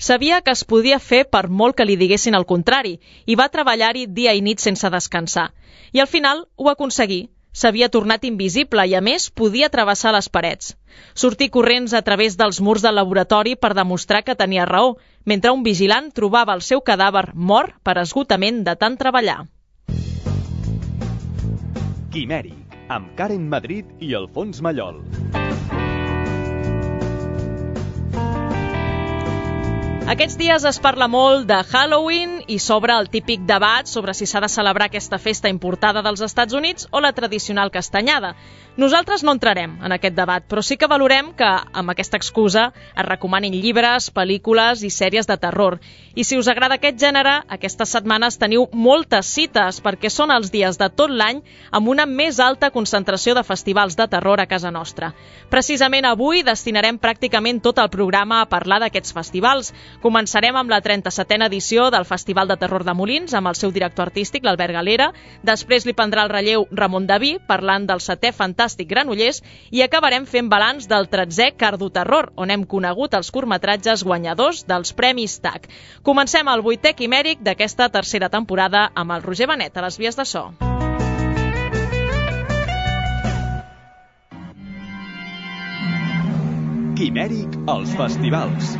Sabia que es podia fer per molt que li diguessin el contrari i va treballar-hi dia i nit sense descansar. I al final ho aconseguí. S'havia tornat invisible i, a més, podia travessar les parets. Sortir corrents a través dels murs del laboratori per demostrar que tenia raó, mentre un vigilant trobava el seu cadàver mort per esgotament de tant treballar. Quimèric, amb Karen Madrid i Alfons Mallol. Aquests dies es parla molt de Halloween i s'obre el típic debat sobre si s'ha de celebrar aquesta festa importada dels Estats Units o la tradicional castanyada. Nosaltres no entrarem en aquest debat, però sí que valorem que, amb aquesta excusa, es recomanin llibres, pel·lícules i sèries de terror. I si us agrada aquest gènere, aquestes setmanes teniu moltes cites perquè són els dies de tot l'any amb una més alta concentració de festivals de terror a casa nostra. Precisament avui destinarem pràcticament tot el programa a parlar d'aquests festivals. Començarem amb la 37a edició del Festival de Terror de Molins, amb el seu director artístic, l'Albert Galera. Després li prendrà el relleu Ramon Daví, parlant del 7è Fantàstic Granollers, i acabarem fent balanç del 13è Cardo Terror, on hem conegut els curtmetratges guanyadors dels Premis TAC. Comencem el 8è Quimèric d'aquesta tercera temporada amb el Roger Benet a les vies de so. Quimèric als festivals.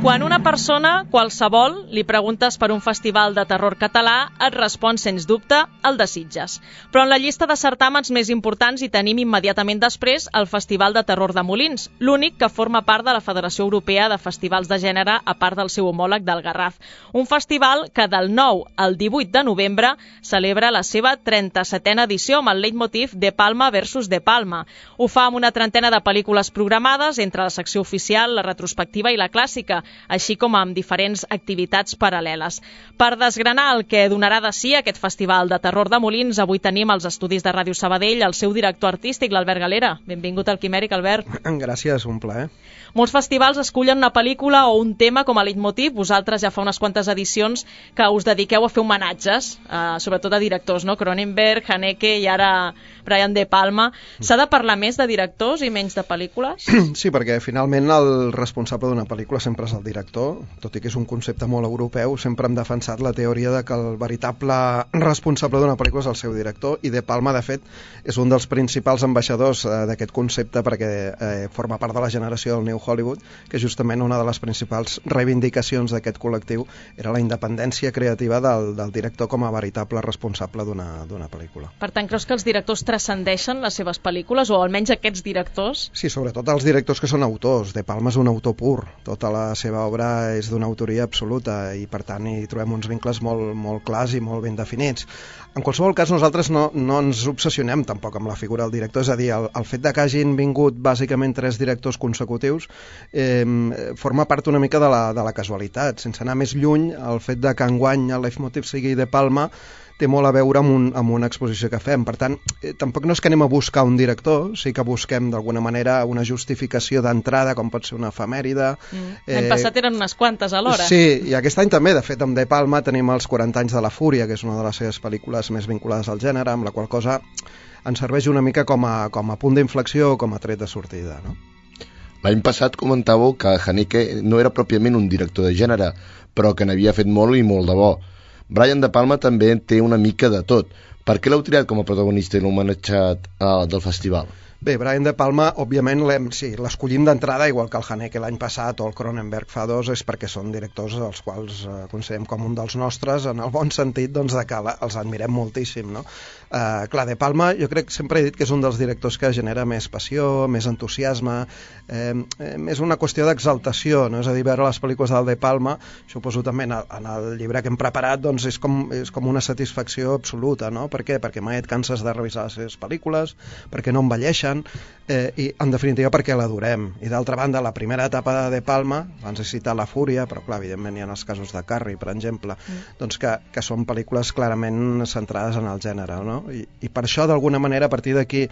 Quan una persona, qualsevol, li preguntes per un festival de terror català, et respon, sens dubte, el de Sitges. Però en la llista de certàmens més importants hi tenim immediatament després el Festival de Terror de Molins, l'únic que forma part de la Federació Europea de Festivals de Gènere, a part del seu homòleg del Garraf. Un festival que del 9 al 18 de novembre celebra la seva 37a edició amb el leitmotiv De Palma versus De Palma. Ho fa amb una trentena de pel·lícules programades entre la secció oficial, la retrospectiva i la clàssica, així com amb diferents activitats paral·leles. Per desgranar el que donarà de si aquest Festival de Terror de Molins, avui tenim als estudis de Ràdio Sabadell el seu director artístic, l'Albert Galera. Benvingut al Quimèric, Albert. Gràcies, un plaer. Molts festivals escullen una pel·lícula o un tema com a leitmotiv. Vosaltres ja fa unes quantes edicions que us dediqueu a fer homenatges, sobretot a directors, no? Cronenberg, Haneke i ara Brian De Palma. S'ha de parlar més de directors i menys de pel·lícules? Sí, perquè finalment el responsable d'una pel·lícula sempre és el director, tot i que és un concepte molt europeu. Sempre hem defensat la teoria de que el veritable responsable d'una pel·lícula és el seu director, i De Palma, de fet, és un dels principals ambaixadors d'aquest concepte, perquè forma part de la generació del New Hollywood, que justament una de les principals reivindicacions d'aquest col·lectiu era la independència creativa del director com a veritable responsable d'una pel·lícula. Per tant, creus que els directors transcendeixen les seves pel·lícules, o almenys aquests directors? Sí, sobretot els directors que són autors. De Palma és un autor pur, tota la seva obra és d'una autoria absoluta i per tant hi trobem uns vincles molt clars i molt ben definits. En qualsevol cas, nosaltres no ens obsessionem tampoc amb la figura del director, és a dir, el fet de que hagin vingut bàsicament 3 directors consecutius forma part una mica de la casualitat. Sense anar més lluny, el fet de que enguany el leitmotiv sigui De Palma té molt a veure amb una exposició que fem. Per tant, tampoc no és que anem a buscar un director, sí que busquem d'alguna manera una justificació d'entrada, com pot ser una efemèride. L'any passat eren unes quantes alhora. Sí, i aquest any també. De fet, amb De Palma tenim els 40 anys de la Fúria, que és una de les seves pel·lícules més vinculades al gènere, amb la qual cosa ens serveix una mica com a punt d'inflexió o com a tret de sortida, no? L'any passat comentàveu que Haneke no era pròpiament un director de gènere, però que n'havia fet molt i molt de bo. Brian De Palma també té una mica de tot. Per què l'heu triat com a protagonista i l'heu homenatjat del festival? Bé, Brian De Palma, òbviament, l'escollim d'entrada, igual que el Haneke l'any passat o el Cronenberg fa 2, és perquè són directors els quals considerem com un dels nostres, en el bon sentit doncs, de que els admirem moltíssim, no? Clar, De Palma, jo crec que sempre he dit que és un dels directors que genera més passió, més entusiasme, és una qüestió d'exaltació, no? És a dir, veure les pel·lícules del De Palma, suposo també en el llibre que hem preparat, doncs és com una satisfacció absoluta, no? Per què? Perquè mai et canses de revisar les seves pel·lícules, perquè no envelleixen, i en definitiva perquè l'adorem. I d'altra banda, la primera etapa de De Palma, abans he citat La Fúria, però clar, evidentment hi ha els casos de Carrie, per exemple, doncs que són pel·lícules clarament centrades en el gènere, no? I per això, d'alguna manera, a partir d'aquí,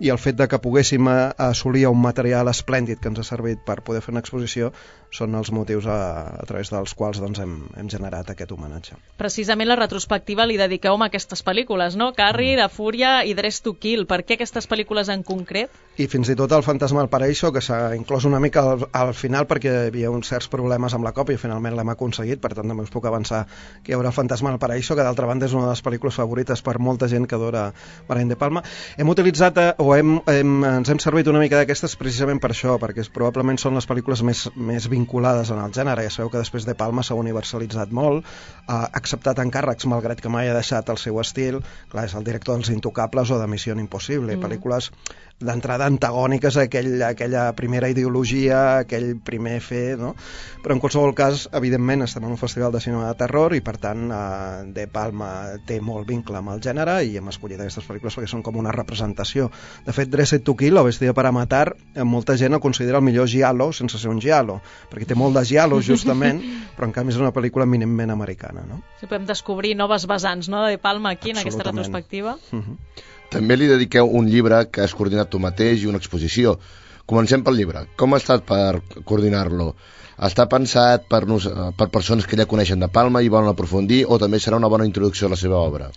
i el fet de que poguéssim assolir un material esplèndid que ens ha servit per poder fer una exposició, són els motius a través dels quals doncs, hem generat aquest homenatge. Precisament la retrospectiva li dediqueu a aquestes pel·lícules, no? Carrie, La Fúria i Dress to Kill. Per què aquestes pel·lícules en concret concret? I fins i tot el Fantasma del Paraíso, que s'ha inclòs una mica al final perquè hi havia uns certs problemes amb la còpia i finalment l'hem aconseguit, per tant també us puc avançar que hi haurà el Fantasma del Paraíso, que d'altra banda és una de les pel·lícules favorites per molta gent que adora Brian De Palma. Hem utilitzat, ens hem servit una mica d'aquestes precisament per això, perquè probablement són les pel·lícules més vinculades en el gènere. Ja sabeu que després De Palma s'ha universalitzat molt, ha acceptat encàrrecs malgrat que mai ha deixat el seu estil. Clar, és el director dels Intocables o de Missió Impossible, pel·lícules d'entrada antagòniques a aquella primera ideologia, aquell primer fer, no? Però en qualsevol cas, evidentment, estem en un festival de cinema de terror i per tant De Palma té molt vincle amb el gènere i hem escollit aquestes pel·lícules perquè són com una representació. De fet, Dressed to Kill o Vestida para matar, molta gent el considera el millor giallo sense ser un giallo, perquè té molt de giallo justament, però en canvi és una pel·lícula eminentment americana, no? Sí, podem descobrir noves vessants, no?, de Palma aquí en aquesta retrospectiva. També li dediqueu un llibre que has coordinat tu mateix i una exposició. Comencem pel llibre. Com ha estat per coordinar-lo? Està pensat per persones que ja coneixen De Palma i volen aprofundir o també serà una bona introducció a la seva obra?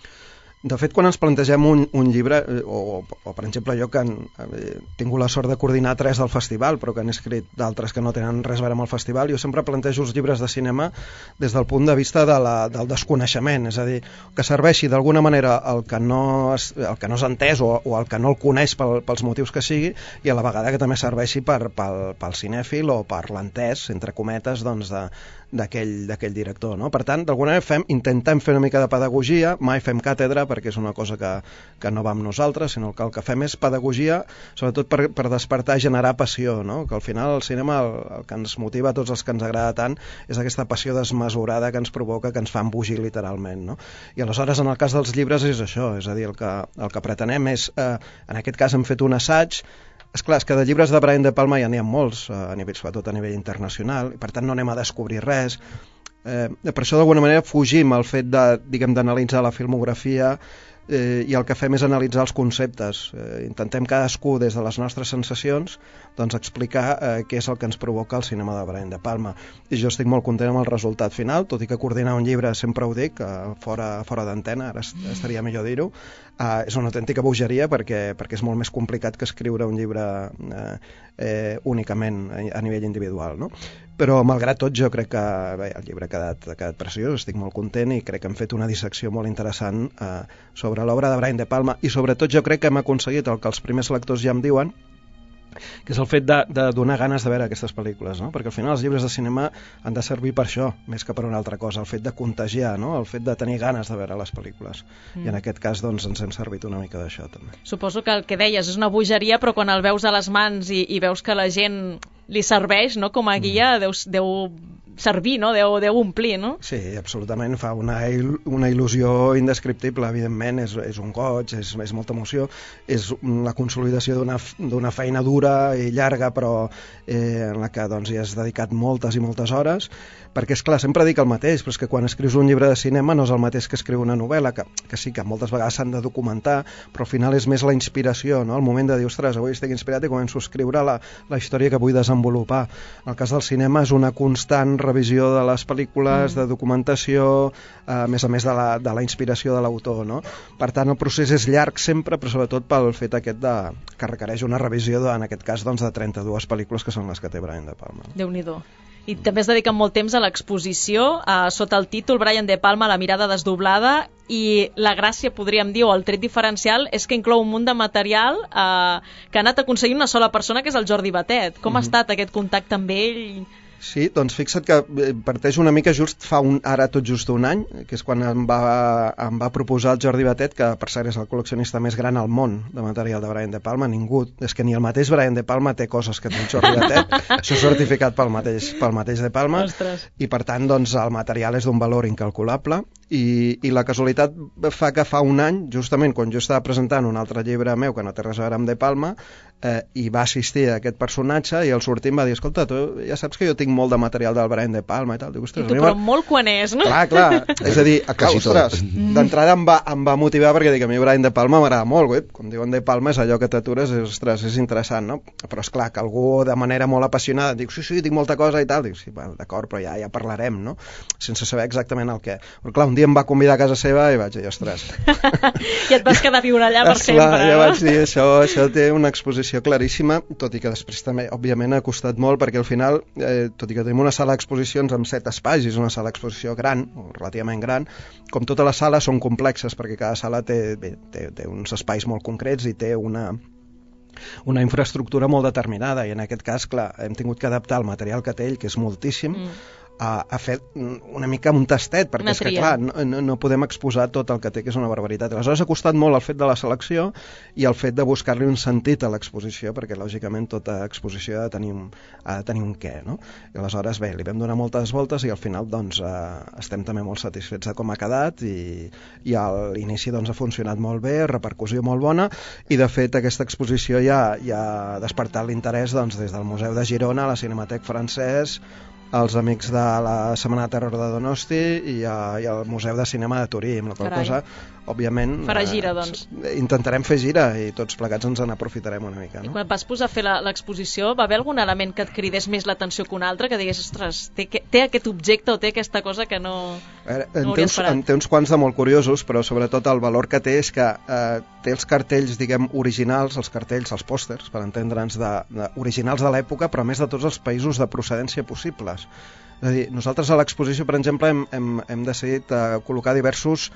De fet, quan ens plantegem un llibre, o per exemple jo que he tingut la sort de coordinar 3 del festival, però que han escrit d'altres que no tenen res a veure amb el festival, jo sempre plantejo els llibres de cinema des del punt de vista del desconeixement, és a dir, que serveixi d'alguna manera el que no és entès o el que no el coneix pels motius que sigui, i a la vegada que també serveixi pel cinèfil o per l'entès, entre cometes, doncs d'aquell director, no? Per tant, d'alguna manera intentem fer una mica de pedagogia, mai fem càtedra perquè és una cosa que no va amb nosaltres, sinó que el que fem és pedagogia, sobretot per despertar i generar passió, no? Que al final el cinema el que ens motiva a tots els que ens agrada tant és aquesta passió desmesurada que ens provoca, que ens fa embogir literalment, no? I aleshores en el cas dels llibres és això, és a dir, el que pretenem és, en aquest cas hem fet un assaig. Esclar, és que de llibres de Brian De Palma ja n'hi ha molts, sobretot a nivell internacional, i per tant no anem a descobrir res. Per això d'alguna manera fugim al fet d'analitzar la filmografia i el que fem és analitzar els conceptes. Intentem cadascú des de les nostres sensacions doncs explicar què és el que ens provoca el cinema de Brian De Palma. I jo estic molt content amb el resultat final, tot i que coordinar un llibre sempre ho dic, fora d'antena, ara estaria millor dir-ho, és una autèntica bogeria perquè és molt més complicat que escriure un llibre únicament a nivell individual, no? Però malgrat tot jo crec que el llibre ha quedat preciós, estic molt content i crec que hem fet una dissecció molt interessant sobre l'obra de Brian De Palma i sobretot jo crec que hem aconseguit el que els primers lectors ja em diuen, que és el fet de donar ganes de veure aquestes pel·lícules, no? Perquè al final els llibres de cinema han de servir per això, més que per una altra cosa, el fet de contagiar, no? El fet de tenir ganes de veure les pel·lícules. I en aquest cas doncs ens hem servit una mica d'això també. Suposo que el que deies és una bogeria, però quan el veus a les mans i veus que la gent li serveix, no?, com a guia, deu servir, no? Deu omplir, no? Sí, absolutament, fa una il·lusió indescriptible, evidentment, és un goig, és molta emoció, és la consolidació d'una feina dura i llarga, però en la que doncs, hi has dedicat moltes i moltes hores, perquè, és clar, sempre dic el mateix, però és que quan escrius un llibre de cinema no és el mateix que escriure una novel·la, que sí que moltes vegades s'han de documentar, però al final és més la inspiració, no? El moment de dir, ostres, avui estic inspirat i començo a escriure la història que vull desenvolupar. En el cas del cinema és una constant revisió de les pel·lícules, de documentació, a més de la inspiració de l'autor, no? Per tant, el procés és llarg sempre, però sobretot pel fet aquest que requereix una revisió, en aquest cas, doncs, de 32 pel·lícules que són les que té Brian De Palma. Déu-n'hi-do. I també es dediquen molt temps a l'exposició, sota el títol Brian De Palma, la mirada desdoblada, i la gràcia, podríem dir, o el tret diferencial, és que inclou un munt de material que ha anat aconseguint una sola persona, que és el Jordi Batet. Com ha estat aquest contacte amb ell? Sí, doncs fixa't que parteix una mica ara tot just un any, que és quan em va proposar el Jordi Batet, que per cert és el col·leccionista més gran al món de material de Brian De Palma. Ningú, és que ni el mateix Brian De Palma té coses que té el Jordi Batet, això és certificat pel mateix De Palma. Ostres. I per tant doncs, el material és d'un valor incalculable i la casualitat fa que fa un any, justament quan jo estava presentant un altre llibre meu que no té res a veure amb De Palma, i va assistir a aquest personatge i al sortir em va dir, escolta, tu ja saps que jo tinc molt de material del Brian De Palma i tal. Dic, ostres, I tu, però molt quan és, no? Clar, és a dir, ostres, d'entrada em va motivar perquè dic, a mi Brian De Palma m'agrada molt, quan diuen De Palma és allò que t'atures, ostres, és interessant, no? Però és clar que algú de manera molt apassionada diu, sí, tinc molta cosa i tal, dic, sí, d'acord, però ja parlarem, no? Sense saber exactament el què. Però clar, un un dia em va convidar a casa seva i vaig dir, ostres... I et vas quedar a viure allà per sempre. Ja vaig dir, això té una exposició claríssima, tot i que després també, òbviament, ha costat molt, perquè al final, tot i que tenim una sala d'exposicions amb 7 espais, és una sala d'exposició gran, relativament gran, com totes les sales són complexes, perquè cada sala té uns espais molt concrets i té una infraestructura molt determinada, i en aquest cas, clar, hem tingut que adaptar el material que té ell, que és moltíssim, a fer una mica un tastet, perquè és que, clar, no podem exposar tot el que té, que és una barbaritat. Aleshores ha costat molt el fet de la selecció i el fet de buscar-li un sentit a l'exposició, perquè lògicament tota exposició ha de tenir un què, no? I aleshores, bé, li vam donar moltes voltes i al final doncs estem també molt satisfets de com ha quedat, i a l'inici doncs ha funcionat molt bé, repercussió molt bona, i de fet aquesta exposició ja ha despertat l'interès doncs des del Museu de Girona, la Cinematec Francès, els amics de la Setmana de Terror de Donosti i al Museu de Cinema de Turí, amb la qual cosa, òbviament... Farà gira, doncs. Intentarem fer gira i tots plegats ens n'aprofitarem una mica, no? I quan et vas posar a fer l'exposició, va haver algun element que et cridés més l'atenció que un altre, que digués, ostres, té aquest objecte o té aquesta cosa que no hauria esperat? En té uns quants de molt curiosos, però sobretot el valor que té és que té els cartells, diguem, originals, els cartells, els pòsters, per entendre'ns, originals de l'època, però a més de tots els països de procedència possibles. És a dir, nosaltres a l'exposició, per exemple, hem decidit col·locar diversos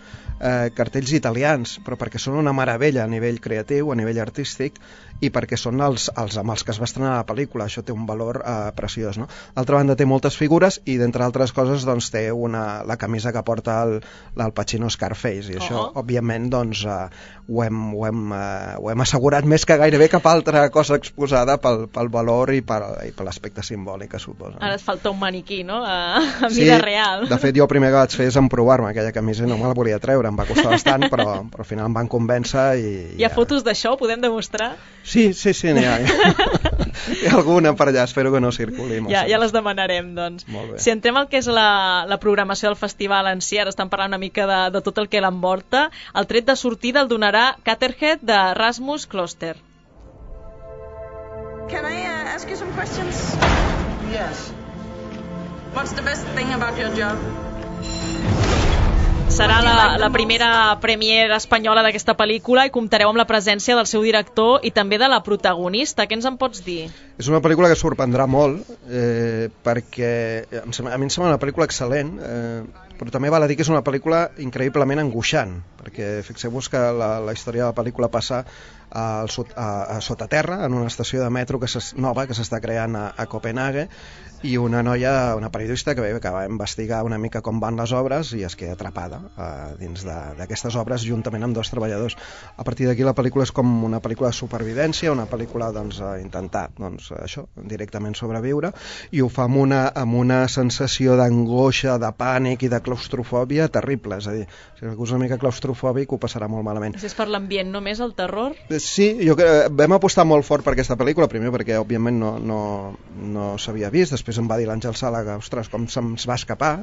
cartells italians, però perquè són una meravella a nivell creatiu, a nivell artístic, i perquè són els amb els que es va estrenar la pel·lícula. Això té un valor preciós, no? D'altra banda té moltes figures i, d'entre altres coses, doncs, té la camisa que porta el Pacino Scarface, i això, òbviament, doncs, ho hem assegurat més que gairebé cap altra cosa exposada pel valor i per l'aspecte simbòlic que suposa. Ara et falta un maniquí, no?, a vida real. De fet, jo el primer que vaig fer és emprovar-me aquella camisa i no me la volia treure, em va costar bastant, però al final em van convèncer i... Hi ha fotos d'això? Ho podem demostrar? Sí, n'hi ha. Hi ha alguna per allà, espero que no circuli. Ja les demanarem, doncs. Si entrem al que és la programació del festival en si, ara estan parlant una mica de tot el que l'envolta, el tret de sortida el donarà Caterhead de Rasmus Kloster. Can I ask you some questions? Yes. What's the best thing about your job? Serà la primera premiere espanyola d'aquesta pel·lícula i comptareu amb la presència del seu director i també de la protagonista. Què ens en pots dir? És una pel·lícula que sorprendrà molt, perquè a mi em sembla una pel·lícula excel·lent, però també val a dir que és una pel·lícula increïblement angoixant, perquè fixeu-vos que la història de la pel·lícula passa a sota terra, en una estació de metro nova que s'està creant a Copenhague, i una noia, una periodista que va investigar una mica com van les obres i es queda atrapada dins d'aquestes obres juntament amb 2 treballadors. A partir d'aquí la pel·lícula és com una pel·lícula de supervivència, una pel·lícula a intentar això, directament sobreviure, i ho fa amb una sensació d'angoixa, de pànic i de claustrofòbia terrible. És a dir, si algú és una mica claustrofòbic ho passarà molt malament. És per l'ambient, només el terror? Sí, vam apostar molt fort per aquesta pel·lícula, primer perquè òbviament no s'havia vist, després em va dir l'Àngel Sala que, ostres, com se'ns va escapar.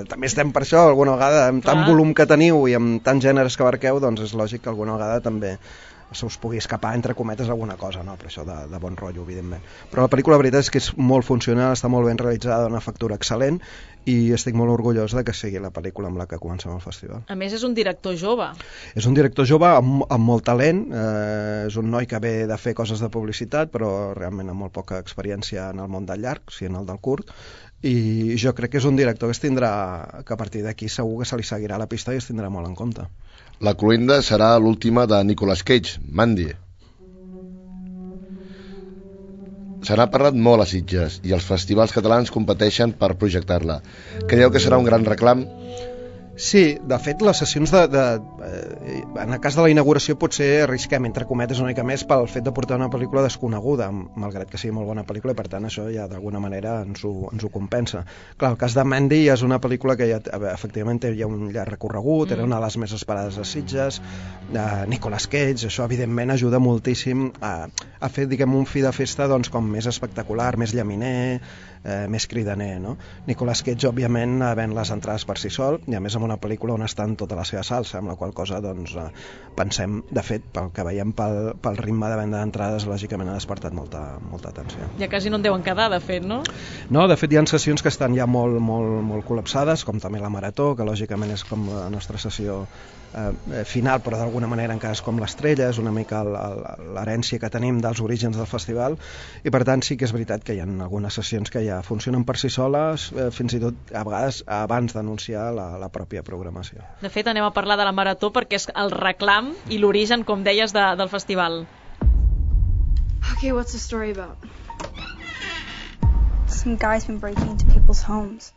També estem per això, alguna vegada, amb tant volum que teniu i amb tants gèneres que abarqueu, doncs és lògic que alguna vegada també se us pugui escapar, entre cometes, alguna cosa, no? Però això de bon rotllo, evidentment. Però la pel·lícula, la veritat és que és molt funcional, està molt ben realitzada, una factura excel·lent, i estic molt orgullós de que sigui la pel·lícula amb la que comencem el festival. A més, és un director jove. És un director jove amb molt talent, és un noi que ve de fer coses de publicitat, però realment amb molt poca experiència en el món del llarg, sí, en el del curt, i jo crec que és un director que a partir d'aquí segur que se li seguirà la pista i es tindrà molt en compte. La cloenda serà l'última de Nicolas Cage, Mandy. Se n'ha parlat molt a Sitges i els festivals catalans competeixen per projectar-la. Creieu que serà un gran reclam? Sí, de fet, les sessions en el cas de la inauguració potser arrisquem, entre cometes, una mica més pel fet de portar una pel·lícula desconeguda, malgrat que sigui molt bona pel·lícula, i per tant això ja d'alguna manera ens ho compensa. Clar, el cas de Mandy ja és una pel·lícula que ja, efectivament té ja un llarg recorregut, era una de les més esperades a Sitges, Nicolas Cage, això evidentment ajuda moltíssim a fer, diguem, un fi de festa doncs, com més espectacular, més llaminer, més cridaner, no? Nicolas Cage, òbviament, ven les entrades per si sol, i a més amb una pel·lícula on estan tota la seva salsa, amb la qual cosa doncs, pensem, de fet, pel que veiem pel ritme de venda d'entrades, lògicament ha despertat molta atenció. Ja quasi no en deuen quedar, de fet, no? No, de fet hi ha sessions que estan ja molt col·lapsades, com també la Marató, que lògicament és com la nostra sessió final, però d'alguna manera encara és com l'estrella, és una mica l'herència que tenim dels orígens del festival, i per tant sí que és veritat que hi ha algunes sessions que ja funcionen per si soles, fins i tot a vegades abans d'anunciar la pròpia programació. De fet, anem a parlar de la Marató perquè és el reclam i l'origen, com deies, del festival. Okay, what's the story about? Some guy's been breaking into people's homes.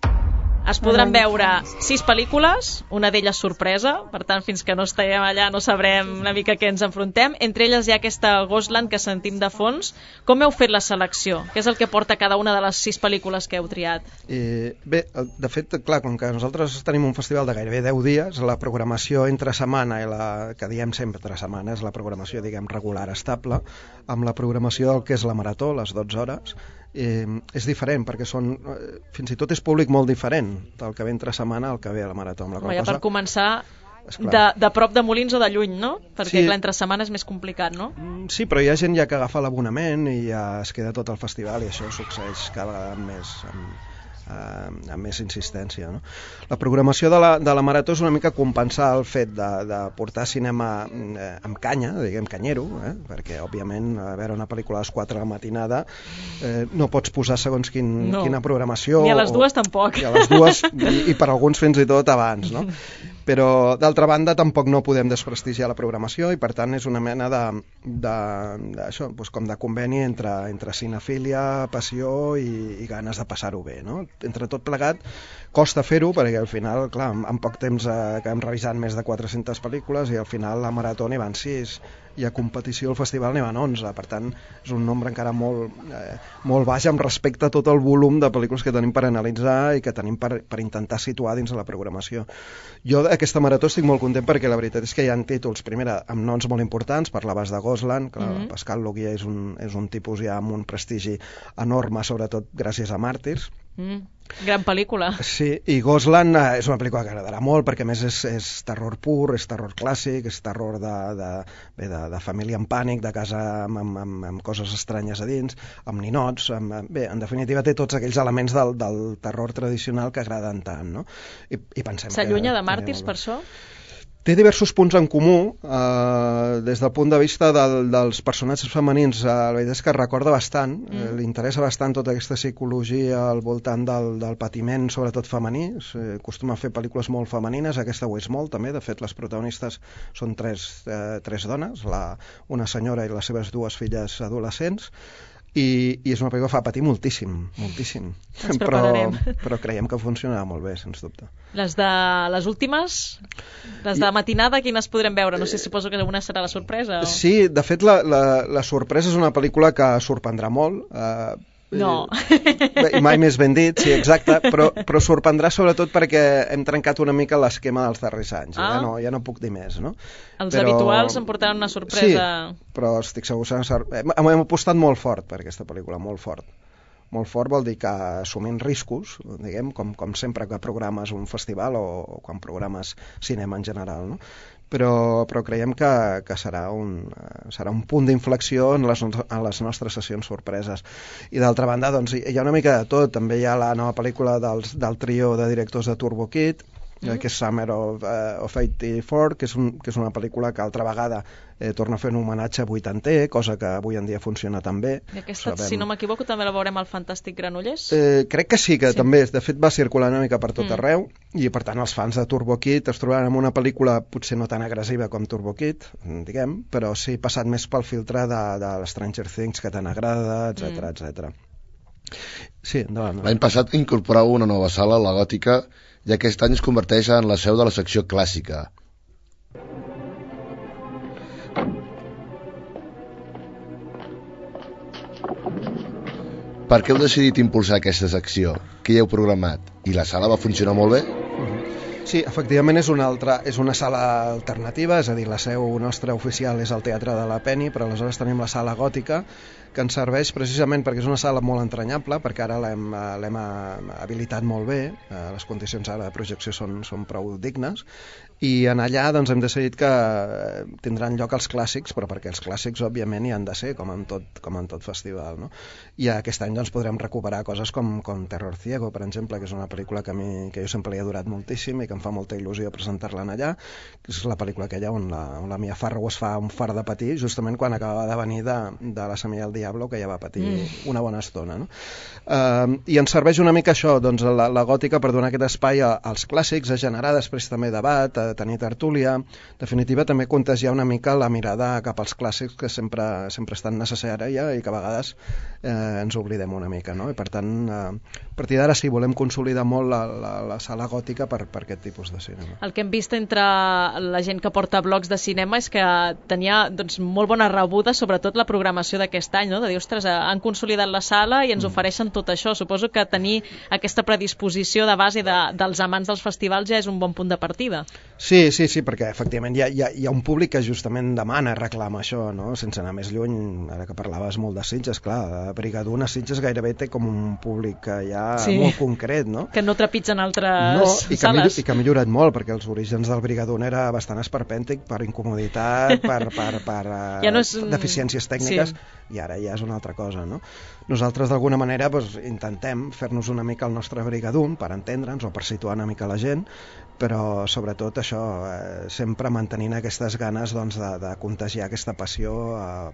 Es podran veure 6 pel·lícules, una d'elles sorpresa, per tant, fins que no estiguem allà no sabrem una mica què ens enfrontem. Entre elles hi ha aquesta Ghostland que sentim de fons. Com heu fet la selecció? Què és el que porta cada una de les 6 pel·lícules que heu triat? Bé, de fet, clar, com que nosaltres tenim un festival de gairebé 10 dies, la programació entre setmana i que diem sempre entre setmana és la programació, diguem, regular, estable, amb la programació del que és la Marató, les 12 hores, és diferent, perquè fins i tot és públic molt diferent del que ve entre setmana al que ve a la Marató. Ja per començar, de prop de Molins o de lluny, no? Perquè sí, entre setmana és més complicat, no? Sí, però hi ha gent ja que agafa l'abonament i ja es queda tot el festival, i això succeeix cada vegada més amb més insistència, no? La programació de la Marató és una mica compensar el fet de portar cinema amb canya, diguem canyero, perquè òbviament a veure una pel·lícula a les 4 de la matinada no pots posar segons quina programació, ni a les 2 tampoc, i a les 2 i per alguns fins i tot abans, no? Però d'altra banda tampoc no podem desprestigiar la programació i per tant és una mena d'això, doncs com de conveni entre cinefília, passió i ganes de passar-ho bé, no? Entre tot plegat costa fer-ho perquè al final, clar, en poc temps acabem revisant més de 400 pel·lícules i al final la Marató n'hi van 6 i a competició al festival n'hi van 11, per tant és un nombre encara molt baix amb respecte a tot el volum de pel·lícules que tenim per analitzar i que tenim per intentar situar dins de la programació. Jo d'aquesta Marató estic molt content perquè la veritat és que hi ha títols, primera, amb noms molt importants, parlaves de Ghostland, que Pascal Laugier és un tipus ja amb un prestigi enorme, sobretot gràcies a Màrtirs. Gran pel·lícula. Sí, i Ghostland és una pel·lícula que agradarà molt perquè a més és terror pur, és terror clàssic, és terror de família en pànic, de casa amb coses estranyes a dins, amb ninots, bé, en definitiva té tots aquells elements del terror tradicional que agraden tant, no? I pensem s'allunya de Màrtirs per això? Té diversos punts en comú, des del punt de vista dels personatges femenins. La veritat és que recorda bastant, li interessa bastant tota aquesta psicologia al voltant del patiment, sobretot femení. Acostuma a fer pel·lícules molt femenines, aquesta ho és molt també, de fet les protagonistes són tres dones, una senyora i les seves 2 filles adolescents, i és una pel·lícula que fa patir moltíssim. Però creiem que funcionarà molt bé, sens dubte. Les últimes, les de matinada, quines podrem veure? No sé, suposo que una serà la sorpresa. Sí, de fet la sorpresa és una pel·lícula que sorprendrà molt. No. I mai més ben dit, sí, exacte, però sorprendrà sobretot perquè hem trencat una mica l'esquema dels darrers anys. Ja no puc dir més, no? Els habituals em portaran una sorpresa. Sí, però estic segur que hem apostat molt fort per aquesta pel·lícula, molt fort. Molt fort vol dir que assumint riscos, diguem, com sempre que programes un festival o quan programes cinema en general, no? Però creiem que serà un punt d'inflexió en les nostres sessions sorpreses. I d'altra banda, doncs, hi ha una mica de tot. També hi ha la nova pel·lícula del trio de directors de Turbo Kid, que és Summer of 84, que és una pel·lícula que altra vegada torna a fer un homenatge vuitanter, cosa que avui en dia funciona tan bé. I aquesta, si no m'equivoco, també la veurem al Fantàstic Granollers? Crec que sí, també. De fet, va circular una mica per tot arreu, i per tant els fans de Turbo Kid es trobaran amb una pel·lícula potser no tan agressiva com Turbo Kid, diguem, però sí passat més pel filtre de Stranger Things que tant agrada, etc. Sí, endavant. L'any passat incorporava una nova sala, la Gòtica, i aquest any es converteix en la seu de la secció clàssica. Per què heu decidit impulsar aquesta secció? Què hi heu programat? I la sala va funcionar molt bé? Sí, efectivament és una sala alternativa, és a dir, la seu nostra oficial és el Teatre de la Penny, però aleshores tenim la sala Gòtica, que ens serveix precisament perquè és una sala molt entranyable, perquè ara l'hem habilitat molt bé, les condicions ara de projecció són prou dignes, i en allà doncs, hem decidit que tindran lloc els clàssics, però perquè els clàssics òbviament hi han de ser, com en tot festival, no? I aquest any doncs, podrem recuperar coses com Terror Ciego, per exemple, que és una pel·lícula que jo sempre li he adorat moltíssim i que em fa molta il·lusió presentar-la allà, que és la pel·lícula aquella on la Mia Farrow es fa un fart de patir justament quan acabava de venir de La Semilla del Diablo, que ja va patir una bona estona, no? I ens serveix una mica això, doncs, la gòtica per donar aquest espai als clàssics, a generar després també debat, a tenir tertúlia, en definitiva també contagiar una mica la mirada cap als clàssics que sempre estan necessària i que a vegades ens oblidem una mica, no? I per tant, a partir d'ara sí, volem consolidar molt la sala gòtica per aquest tipus de cinema. El que hem vist entre la gent que porta blogs de cinema és que tenia doncs, molt bona rebuda, sobretot la programació d'aquest any, no? De dir, ostres, han consolidat la sala i ens ofereixen tot això. Suposo que tenir aquesta predisposició de base dels amants dels festivals ja és un bon punt de partida. Sí, perquè efectivament hi ha un públic que justament demana, reclama això, no? Sense anar més lluny, ara que parlaves molt de Sitges, clar, Brigaduna Sitges gairebé té com un públic ja molt concret, no? Que no trepitgen altres sales. I que ha millorat molt, perquè els orígens del Brigaduna era bastant esperpèntic per incomoditat, per ja no és... deficiències tècniques, i ara ja és una altra cosa, no? Nosaltres d'alguna manera intentem fer-nos una mica el nostre Brigadun per entendre'ns o per situar una mica la gent, però sobretot això, sempre mantenint aquestes ganes doncs, de contagiar aquesta passió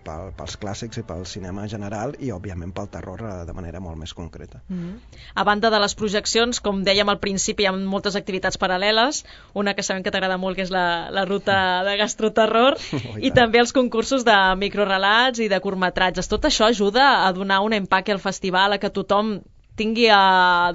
pels clàssics i pel cinema en general i òbviament pel terror de manera molt més concreta. A banda de les projeccions, com dèiem al principi, hi ha moltes activitats paral·leles, una que sabem que t'agrada molt, que és la ruta de gastroterror, i també els concursos de microrelats i de curtmetratges. Tot això ajuda a donar un empaque al festival, a que tothom tingui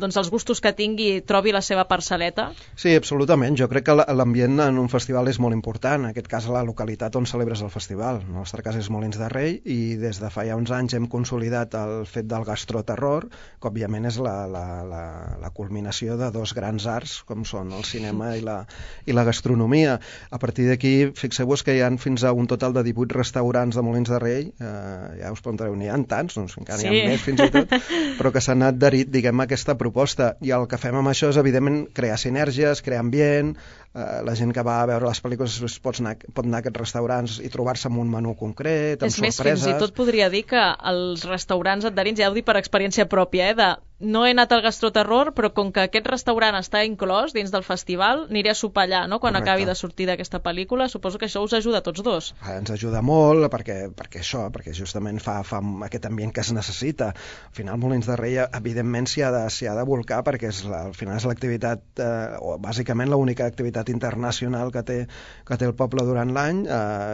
doncs, els gustos que tingui, trobi la seva parcel·leta? Sí, absolutament. Jo crec que l'ambient en un festival és molt important. En aquest cas, la localitat on celebres el festival. En el nostre cas és Molins de Rei i des de fa ja uns anys hem consolidat el fet del gastroterror, que òbviament és la culminació de dos grans arts, com són el cinema i la gastronomia. A partir d'aquí, fixeu-vos que hi ha fins a un total de 18 restaurants de Molins de Rei. Ja us preguntareu, n'hi ha tants? Doncs encara n'hi ha més fins i tot, però que s'han anat diguem, aquesta proposta, i el que fem amb això és evidentment crear sinergies, crear ambient, la gent que va a veure les pel·lícules pot anar a aquests restaurants i trobar-se amb un menú concret, amb sorpreses. És més, fins i tot podria dir que els restaurants adherents, ja ho dic per experiència pròpia, no he anat al gastroterror, però com que aquest restaurant està inclòs dins del festival, aniré a sopar allà, no? Quan acabi de sortir d'aquesta pel·lícula. Suposo que això us ajuda a tots dos. Ens ajuda molt, perquè justament fa aquest ambient que es necessita. Al final, Molins de Rei, evidentment, s'hi ha de volcar, perquè al final és l'activitat, o bàsicament l'única activitat internacional que té el poble durant l'any.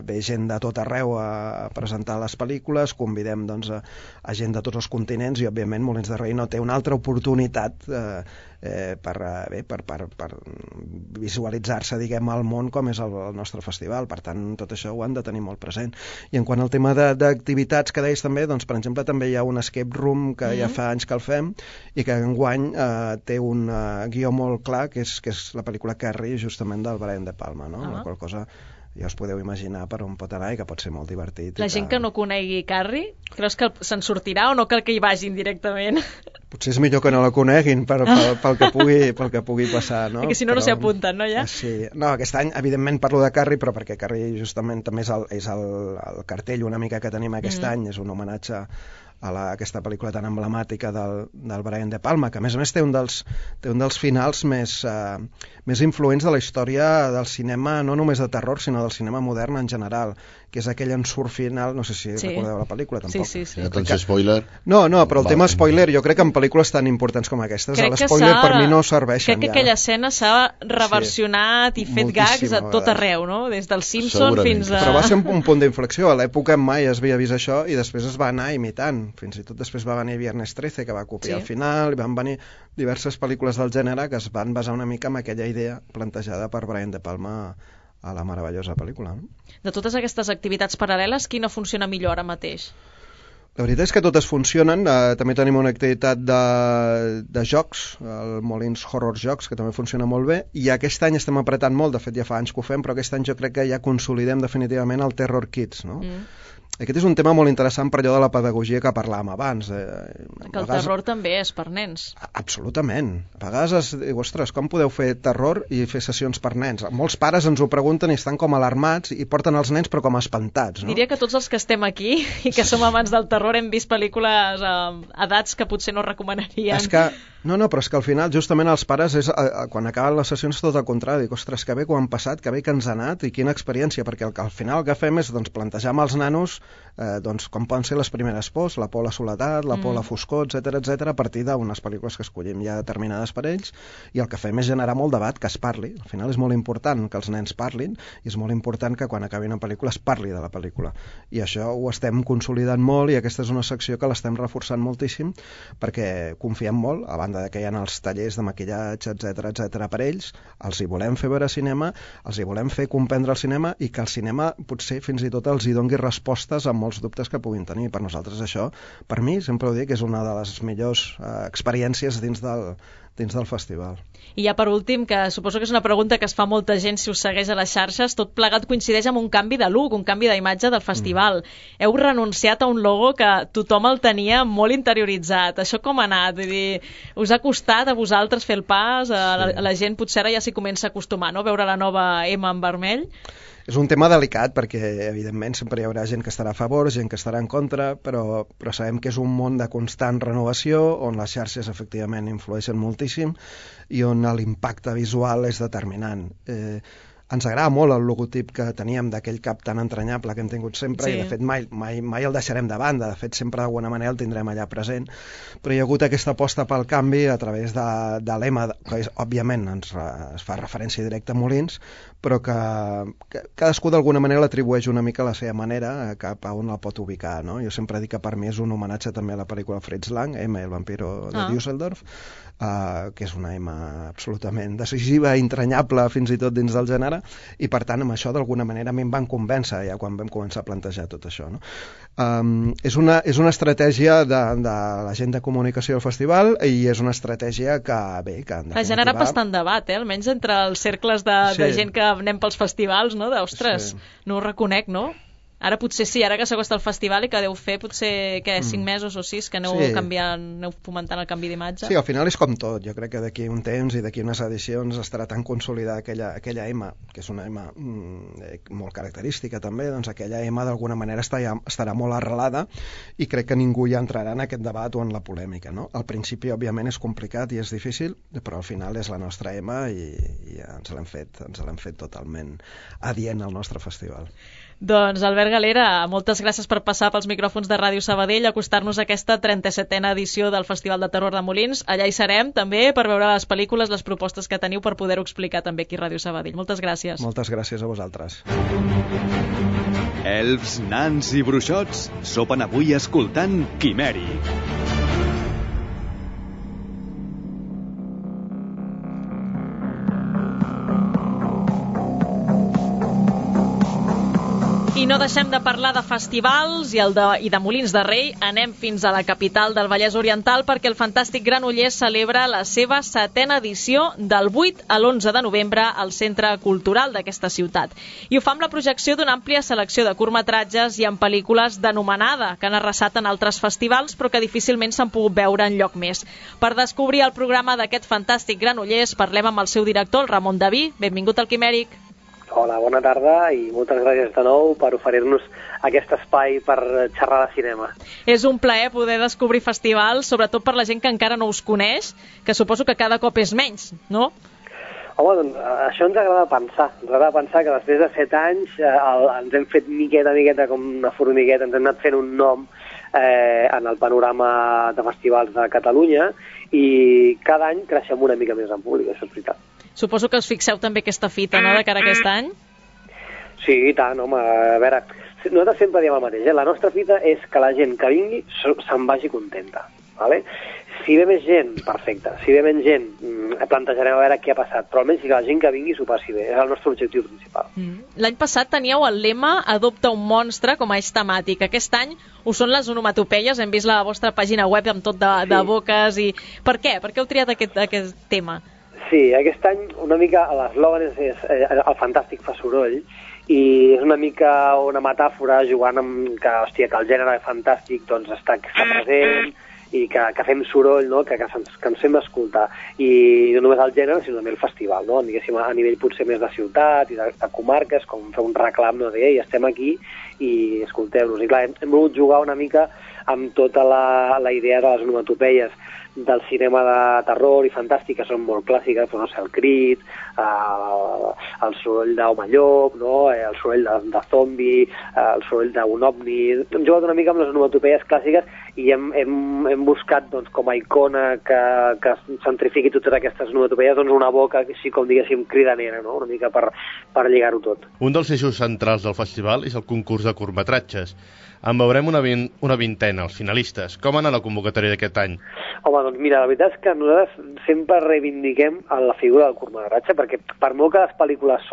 Ve gent de tot arreu a presentar les pel·lícules, convidem doncs, a gent de tots els continents, i òbviament Molins de Rei no té una altra oportunitat per visualitzar-se, diguem, al món com és el nostre festival. Per tant, tot això ho han de tenir molt present. I en quant al tema d'activitats que deies també, doncs, per exemple, també hi ha un escape room que ja fa anys que el fem i que enguany té un guió molt clar, que és la pel·lícula Carrie, justament del Brian De Palma, no? La qual cosa ja us podeu imaginar per on pot anar i que pot ser molt divertit. La gent que no conegui Carrie, creus que se'n sortirà o no cal que hi vagin directament? Potser és millor que no la coneguin pel que pugui passar, no? Perquè si no, no s'hi apunten, no, ja? Sí. No, aquest any, evidentment, parlo de Carrie, però perquè Carrie justament també és el cartell una mica que tenim aquest any, és un homenatge a aquesta pel·lícula tan emblemàtica del Brian De Palma, que a més té un dels finals més influents de la història del cinema, no només de terror, sinó del cinema modern en general, que és aquell ensurt final, no sé si recordeu la pel·lícula, tampoc. Sí. Doncs spoiler. No, però el tema spoiler, jo crec que en pel·lícules tan importants com aquestes, l'espoiler per mi no serveixen. Crec que aquella escena s'ha reversionat i fet gags a tot arreu, no? Des del Simpson fins a... Però va ser un punt d'inflexió, a l'època mai es havia vist això i després es va anar imitant. Fins i tot després va venir Viernes 13, que va copiar al final, i van venir diverses pel·lícules del gènere que es van basar una mica en aquella idea plantejada per Brian De Palma a la meravellosa pel·lícula. De totes aquestes activitats paral·leles, quina funciona millor ara mateix? La veritat és que totes funcionen. També tenim una activitat de jocs, el Molins Horror Jocs, que també funciona molt bé, i aquest any estem apretant molt, de fet ja fa anys que ho fem, però aquest any jo crec que ja consolidem definitivament el Terror Kids, no? Aquest és un tema molt interessant per allò de la pedagogia que parlàvem abans. Que el terror també és per nens. Absolutament. A vegades es diu, ostres, com podeu fer terror i fer sessions per nens? Molts pares ens ho pregunten i estan com alarmats i porten els nens però com espantats, no? Diria que tots els que estem aquí i que som amants del terror hem vist pel·lícules a edats que potser no recomanaríem. És que, però és que al final justament els pares quan acaben les sessions tot al contrari, dic, ostres, que bé que ho han passat, que bé que ens ha anat i quina experiència, perquè al final el que fem és plantejar amb els nanos com poden ser les primeres pors, la por a la soledat, la por a la foscor, etc a partir d'unes pel·lícules que escollim ja determinades per ells, i el que fem és generar molt debat, que es parli. Al final és molt important que els nens parlin i és molt important que quan acabi una pel·lícula es parli de la pel·lícula, i això ho estem consolidant molt i aquesta és una secció que l'estem reforçant moltíssim perquè confiem molt, a banda que hi ha els tallers de maquillatge, etc per ells, els hi volem fer veure cinema, els hi volem fer comprendre el cinema i que el cinema potser fins i tot els hi doni respostes a molts dubtes que puguin tenir. Per nosaltres això, per mi, sempre ho dic, és una de les millors experiències dins del festival. I ja per últim, que suposo que és una pregunta que es fa molta gent si us segueix a les xarxes, tot plegat coincideix amb un canvi de look, un canvi d'imatge del festival. Heu renunciat a un logo que tothom el tenia molt interioritzat. Això com ha anat? Vull dir, us ha costat a vosaltres fer el pas? A la gent potser ara ja s'hi comença a acostumar, no? Veure la nova M en vermell? És un tema delicat perquè, evidentment, sempre hi haurà gent que estarà a favor, gent que estarà en contra, però sabem que és un món de constant renovació, on les xarxes efectivament influeixen moltíssim i on l'impacte visual és determinant. Ens agrada molt el logotip que teníem d'aquell cap tan entranyable que hem tingut sempre, i de fet mai el deixarem de banda, de fet sempre d'alguna manera el tindrem allà present, però hi ha hagut aquesta aposta pel canvi a través de l'EMA, que òbviament es fa referència directa a Molins, però que cadascú d'alguna manera l'atribueix una mica a la seva manera cap a on el pot ubicar, no? Jo sempre dic que per mi és un homenatge també a la pel·lícula Fritz Lang, M, el vampiro de Düsseldorf, que és una M absolutament decisiva, entranyable fins i tot dins del gènere, i per tant amb això d'alguna manera a mi em van convèncer ja quan vam començar a plantejar tot això, no? És una estratègia de la gent de comunicació del festival i és una estratègia que ha generat bastant debat, almenys entre els cercles de gent que anem pels festivals, no? Ostres, no ho reconec, no? Ara potser sí, ara que s'acosta el festival i que deu fer potser 5 mesos o 6 que aneu fomentant el canvi d'imatge. Sí, al final és com tot. Jo crec que d'aquí un temps i d'aquí unes edicions estarà tan consolidada aquella M, que és una M molt característica també, doncs aquella M d'alguna manera estarà molt arrelada i crec que ningú ja entrarà en aquest debat o en la polèmica, no? Al principi, òbviament, és complicat i és difícil, però al final és la nostra M i ens l'hem fet totalment adient al nostre festival. Doncs Albert Galera, moltes gràcies per passar pels micròfons de Ràdio Sabadell a acostar-nos a aquesta 37a edició del Festival de Terror de Molins. Allà hi serem també per veure les pel·lícules, les propostes que teniu per poder-ho explicar també aquí a Ràdio Sabadell. Moltes gràcies. Moltes gràcies a vosaltres. Elfs, nans i bruixots sopen avui escoltant Quimeri. I no deixem de parlar de festivals i de Molins de Rei. Anem fins a la capital del Vallès Oriental perquè el Fantàstic Granollers celebra la seva 7a edició del 8 a l'11 de novembre al Centre Cultural d'aquesta ciutat. I ho fa amb la projecció d'una àmplia selecció de curtmetratges i en pel·lícules d'anomenada que han arrasat en altres festivals però que difícilment s'han pogut veure enlloc més. Per descobrir el programa d'aquest Fantàstic Granollers parlem amb el seu director, el Ramon Daví. Benvingut al Quimèric. Hola, bona tarda i moltes gràcies de nou per oferir-nos aquest espai per xerrar de cinema. És un plaer poder descobrir festivals, sobretot per la gent que encara no us coneix, que suposo que cada cop és menys, no? Home, doncs això ens agrada pensar. Ens agrada pensar que després de 7 anys ens hem fet miqueta com una formigueta, ens hem anat fent un nom en el panorama de festivals de Catalunya i cada any creixem una mica més en públic, això és veritat. Suposo que us fixeu també aquesta fita, no?, de cara a aquest any? Sí, i tant, home, a veure, nosaltres sempre diem el mateix, la nostra fita és que la gent que vingui se'n vagi contenta, ¿vale? Si ve més gent, perfecte, si ve menys gent, plantejarem a veure què ha passat, però almenys que la gent que vingui s'ho passi bé, és el nostre objectiu principal. L'any passat teníeu el lema Adopta un monstre com a eix temàtic. Aquest any ho són les onomatopeies, hem vist la vostra pàgina web amb tot de boques i... Per què? Per què heu triat aquest tema? Sí, aquest any una mica l'eslògan és el fantàstic fa soroll i és una mica una metàfora jugant amb que, hòstia, que el gènere fantàstic doncs, està present i que fem soroll, no? que ens fem escoltar. I no només el gènere, sinó també el festival, no? Diguéssim, a nivell potser més de ciutat i de comarques, com fer un reclam, no? De, ei, estem aquí i escolteu-nos. I clar, hem volgut jugar una mica amb tota la idea de les onomatopeies del cinema de terror i fantàstic, que són molt clàssiques, però no sé, el crit, el soroll d'home llop, no? El soroll de zombi, el soroll d'un ovni. Hem jugat una mica amb les onomatopeies clàssiques i hem buscat doncs, com a icona que centrifiqui totes aquestes onomatopeies doncs, una boca així com diguéssim cridanera, no? Una mica per lligar-ho tot. Un dels eixos centrals del festival és el concurs de curtmetratges. En veurem una vintena, els finalistes. Com ha anat la convocatòria d'aquest any? Home, doncs mira, la veritat és que nosaltres sempre reivindiquem la figura del curtmetratge, perquè per molt que les pel·lícules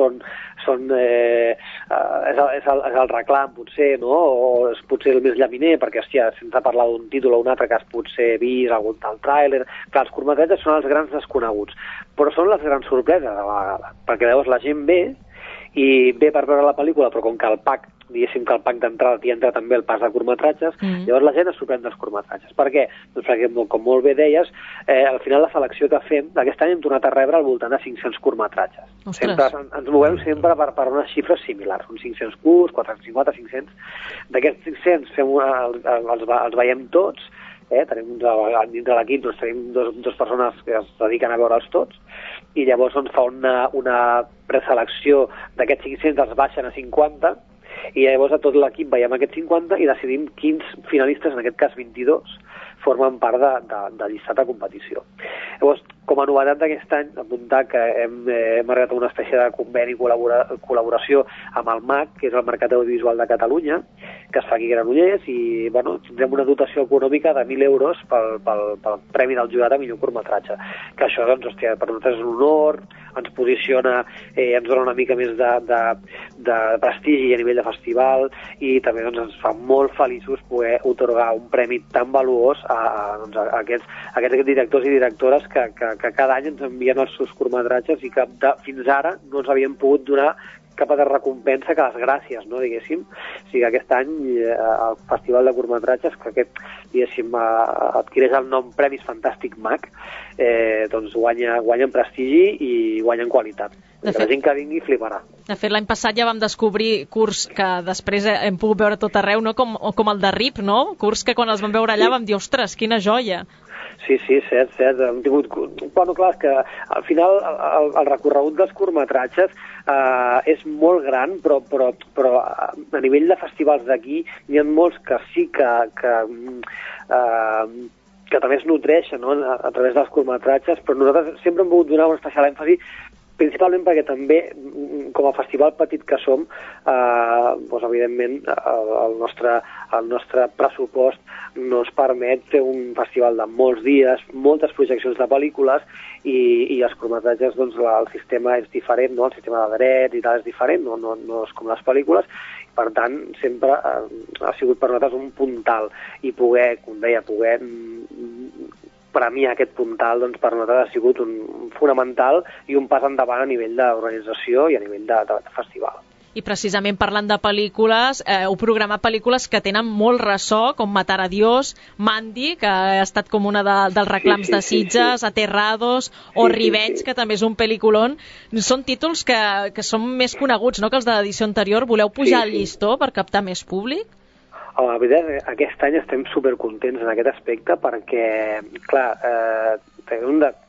és el reclam, potser, no? O és potser el més llaminer, perquè, hòstia, sense parlar d'un títol o un altre que has potser vist, algun tal tràiler. Clar, els curtmetratges són els grans desconeguts, però són les grans sorpreses a la vegada, perquè llavors la gent ve i ve per veure la pel·lícula, però com que el pack diguéssim que el pack d'entrada t'hi entra també el pas de curtmetratges, llavors la gent es sorprèn dels curtmetratges. Per què? Doncs perquè, com molt bé deies, al final la selecció que fem, aquest any hem tornat a rebre al voltant de 500 curtmetratges. Sempre, ens movem sempre per unes xifres similars, uns 500 curts, 450, 500. D'aquests 500 els veiem tots, tenim dintre l'equip doncs, tenim dos persones que es dediquen a veure'ls tots, i llavors doncs, fa una preselecció d'aquests 500, els baixen a 50, i llavors a tot l'equip veiem aquests 50 i decidim quins finalistes, en aquest cas 22, formen part de llistat de competició. Llavors, com a novetat d'aquest any, apuntar que hem arribat a una espècie de conveni i col·laboració amb el MAC, que és el Mercat Audiovisual de Catalunya, que es fa aquí a Granollers, i bueno, tindrem una dotació econòmica de 1.000 euros pel Premi del Jurat a millor curtmetratge. Que això, doncs, hòstia, per nosaltres és un honor, ens posiciona, ens dona una mica més de prestigi a nivell de festival, i també doncs, ens fa molt feliços poder otorgar un premi tan valuós a aquests directors i directores que cada any ens envien els seus curtmetratges i que fins ara no ens havien pogut donar cap de recompensa que les gràcies, no, diguéssim. O sigui, aquest any el Festival de Curtmetratges, que diguéssim, adquireix el nom Premis Fantàstic MAC, doncs guanyen prestigi i guanyen qualitat. La gent que vingui fliparà. De fet, l'any passat ja vam descobrir curts que després hem pogut veure tot arreu, no? Com el de RIP, no? Curts que quan els vam veure allà vam dir, ostres, quina joia! Sí, cert. Hem tingut... Bueno, clar, és que al final el recorregut dels curtmetratges és molt gran, però a nivell de festivals d'aquí n'hi ha molts que sí que també es nodreixen, no? A través dels curtmetratges, però nosaltres sempre hem volgut donar un especial èmfasi principalment perquè també, com a festival petit que som, doncs, evidentment el nostre pressupost no ens permet fer un festival de molts dies, moltes projeccions de pel·lícules, i els curtmetratges, doncs, el sistema és diferent, no? El sistema de drets i tal és diferent, no és com les pel·lícules. Per tant, sempre ha sigut per nosaltres un puntal, i poder, com deia, premiar aquest puntal, doncs, per nosaltres ha sigut un fonamental i un pas endavant a nivell d'organització i a nivell de festival. I precisament parlant de pel·lícules, heu programat pel·lícules que tenen molt ressò, com Matar a Dios, Mandy, que ha estat com una dels reclams de Sitges, Aterrados, o Revenge, que també és un pel·lículon. Són títols que són més coneguts, no?, que els de l'edició anterior. Voleu pujar el llistó per captar més públic? La veritat, aquest any estem supercontents en aquest aspecte perquè, clar,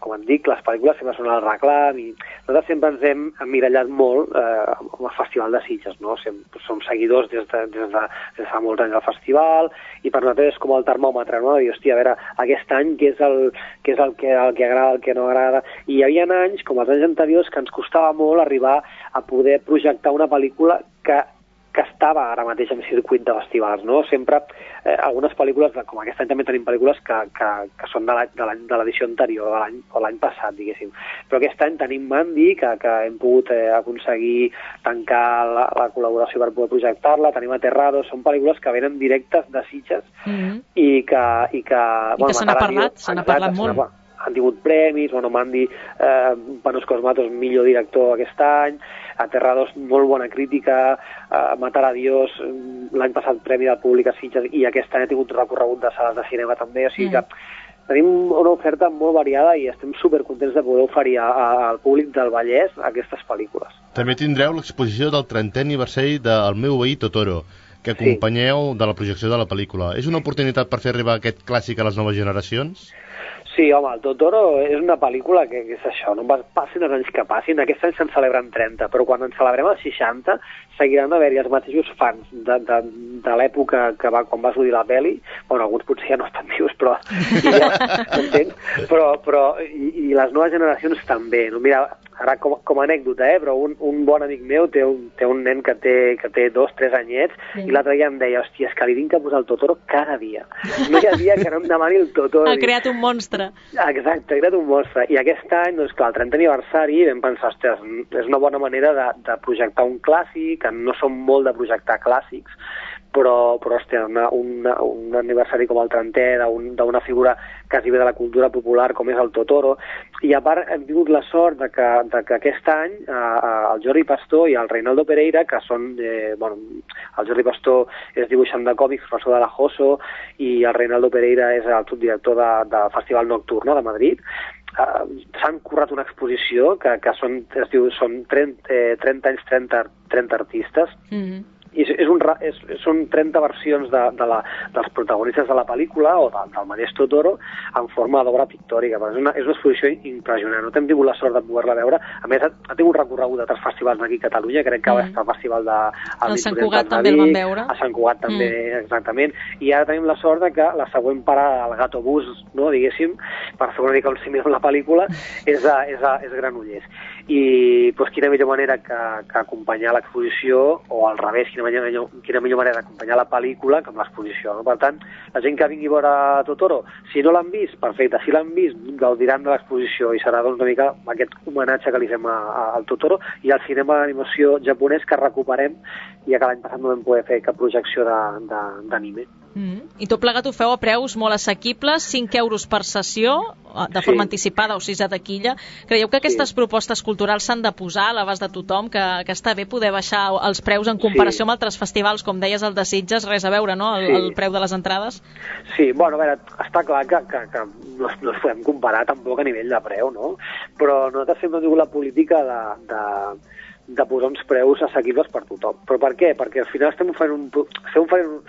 com et dic, les pel·lícules sempre són al reclam i nosaltres sempre ens hem emmirallat molt amb el Festival de Sitges, no? Som seguidors des de fa molts anys del festival i per nosaltres és com el termòmetre, no? I, hòstia, a veure, aquest any què és el que agrada, el que no agrada. I hi havia anys, com els anys anteriors, que ens costava molt arribar a poder projectar una pel·lícula que estava ara mateix en circuit de festivals, no? Sempre, algunes pel·lícules, com aquest any també tenim pel·lícules que són de l'edició anterior, o l'any passat, diguéssim. Però aquest any tenim Mandy, que hem pogut aconseguir tancar la col·laboració per poder projectar-la, tenim Aterrados, són pel·lícules que venen directes de Sitges i que se n'ha parlat molt. han tingut premis, bueno, Mandy, Panos Cosmatos, millor director aquest any, Aterrados, molt bona crítica, Matar a Dios, l'any passat premi del públic a Sitges, i aquest any ha tingut recorregut de sales de cinema també, o sigui que tenim una oferta molt variada i estem supercontents de poder oferir al públic del Vallès aquestes pel·lícules. També tindreu l'exposició del 30è aniversari del meu veí Totoro, que acompanyeu de la projecció de la pel·lícula. És una oportunitat per fer arribar aquest clàssic a les noves generacions? Sí, home, el Totoro és una pel·lícula que és això, no passin els anys que passin, aquest any se'n celebren 30, però quan en celebrem els 60 seguiran d'haver-hi els mateixos fans de l'època quan va sortir la pel·li, bueno, alguns potser ja no estan vius, però i les noves generacions també, no? Mira, ara com a anècdota, però un bon amic meu té un nen que té 2-3 anyets, i l'altre dia em deia, hòstia, és que li vinc a posar el Totoro cada dia. No hi ha dia que no em demani el Totoro. Ha creat un monstre. Exacte, ha creat un monstre. I aquest any, doncs clar, el 30 aniversari, vam pensar, ostres, és una bona manera de projectar un clàssic, que no som molt de projectar clàssics, però hòstia, un aniversari com el 30è d'una figura quasi bé de la cultura popular com és el Totoro, i a part hem tingut la sort de que aquest any el Jordi Pastor i el Reinaldo Pereira, que són, el Jordi Pastor és dibuixant de còmics, professor de la JOSO, i el Reinaldo Pereira és el subdirector del Festival Nocturno de Madrid, s'han currat una exposició que són 30 anys, 30 artistes, i són 30 versions dels protagonistes de la pel·lícula o del mateix Totoro en forma d'obra pictòrica. És una exposició impressionant, no hem tingut la sort de poder-la veure. A més, ha tingut recorregut d'altres festivals aquí a Catalunya, crec que va estar al festival de Sant Cugat també el vam veure. A Sant Cugat també, exactament, i ara tenim la sort de que la següent parada del Gatobús, no, diguéssim, per fer una mica un símil amb la pel·lícula, és Granollers. I quina millor manera que acompanyar l'exposició, o al revés, quina millor manera d'acompanyar la pel·lícula que amb l'exposició, no? Per tant, la gent que vingui a veure Totoro, si no l'han vist, perfecte, si l'han vist, gaudiran de l'exposició, i serà una mica aquest homenatge que li fem al Totoro, i al cinema d'animació japonès que recuperem, ja que l'any passat no vam poder fer cap projecció d'anime. I tot plegat ho feu a preus molt assequibles, 5 euros per sessió, de forma anticipada o 6 a taquilla. Creieu que aquestes propostes culturals s'han de posar a l'abast de tothom, que està bé poder baixar els preus en comparació amb altres festivals, com deies el de Sitges, res a veure, no?, el preu de les entrades? Sí, bueno, a veure, està clar que no es podem comparar tampoc a nivell de preu, no? Però nosaltres sempre hem tingut la política de posar uns preus assequibles per tothom. Però per què? Perquè al final estem oferint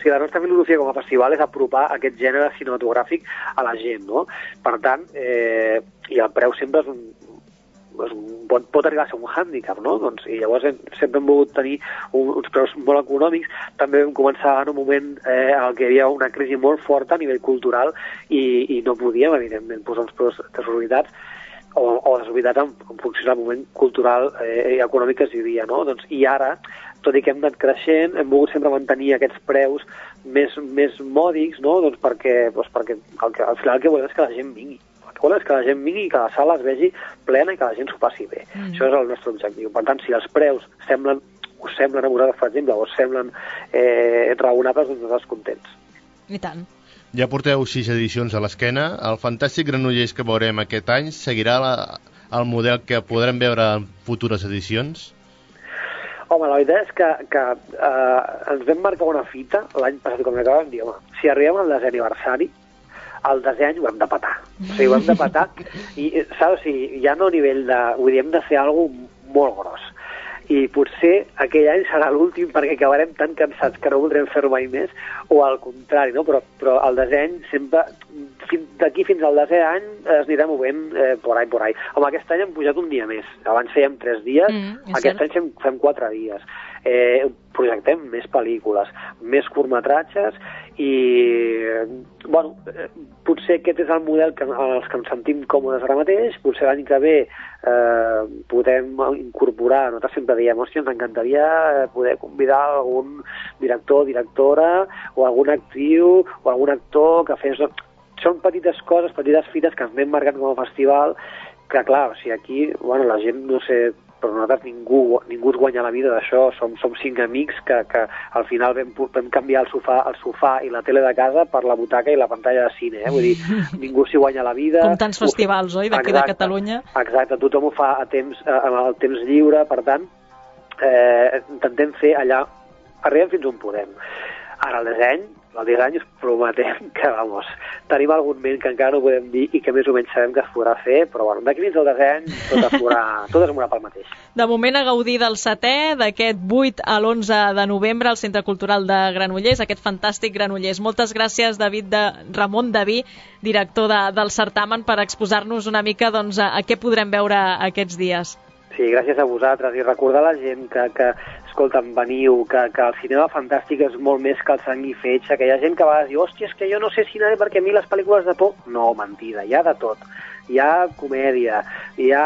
si la nostra filosofia com a festival és apropar aquest gènere cinematogràfic a la gent, no? Per tant, i el preu sempre pot arribar a ser un hàndicap, no? Doncs, i llavors sempre hem volgut tenir uns preus molt econòmics. També vam començar en un moment en què hi havia una crisi molt forta a nivell cultural i no podíem, evidentment, posar uns preus desorbitats o desorbitat en funció del moment cultural i econòmic que es vivia, no? Doncs, i ara, tot i que hem anat creixent, hem volgut sempre mantenir aquests preus més mòdics, no? Doncs perquè al final el que volem és que la gent vingui. El que volem és que la gent vingui i que la sala es vegi plena i que la gent s'ho passi bé. Això és el nostre objectiu. Per tant, si els preus us semblen a vosaltres, per exemple, o us semblen raonables, doncs nosaltres contents. I tant. Ja porteu 6 edicions a l'esquena. El fantàstic Granollers que veurem aquest any seguirà el model que podrem veure en futures edicions? Home, la veritat és que ens vam marcar una fita l'any passat, com acabem de dir, home, si arribem al 10è aniversari, el 10è any ho hem de petar. O sigui, ho hem de petar, i saps, ja no a nivell de... Vull dir, hem de fer alguna cosa molt gros. I potser aquell any serà l'últim perquè acabarem tan cansats que no voldrem fer mai més, o al contrari, no? Però el 10è any sempre, d'aquí fins al 10è any es anirà movent por ahí. Home, aquest any hem pujat un dia més. Abans fèiem 3 dies, aquest any fem 4 dies. Projectem més pel·lícules, més curtmetratges i, bueno, potser aquest és el model en els que ens sentim còmodes ara mateix. Potser l'any que ve podem incorporar, nosaltres sempre diem, hòstia, ens encantaria poder convidar algun director, directora, o alguna actriu, o algun actor que fes... Són petites coses, petites fites que ens anem marcant com a festival, que clar, o sigui, aquí, bueno, la gent, no sé, però nosaltres ningú es guanya la vida d'això, som 5 amics que al final vam canviar el sofà i la tele de casa per la butaca i la pantalla de cine, vull dir, ningú s'hi guanya la vida. Com tants festivals, oi, d'aquí de Catalunya? Exacte, tothom ho fa en el temps lliure, per tant, intentem fer allà, arribem fins on podem. Ara el disseny us prometem que, tenim algun ment que encara no podem dir i que més o menys sabem que es podrà fer, però d'aquí fins al disseny tot es mourà pel mateix. De moment a gaudir del 7è, d'aquest 8 a l'11 de novembre al Centre Cultural de Granollers, aquest fantàstic Granollers. Moltes gràcies, Ramon Daví, director del certamen, per exposar-nos una mica a què podrem veure aquests dies. Sí, gràcies a vosaltres, i recordar a la gent que escolta'm, veniu, que el cinema fantàstic és molt més que el sang i fetge, que hi ha gent que a vegades diu, hòstia, és que jo no sé si anaré perquè a mi les pel·lícules de por... No, mentida, hi ha de tot. Hi ha comèdia, hi ha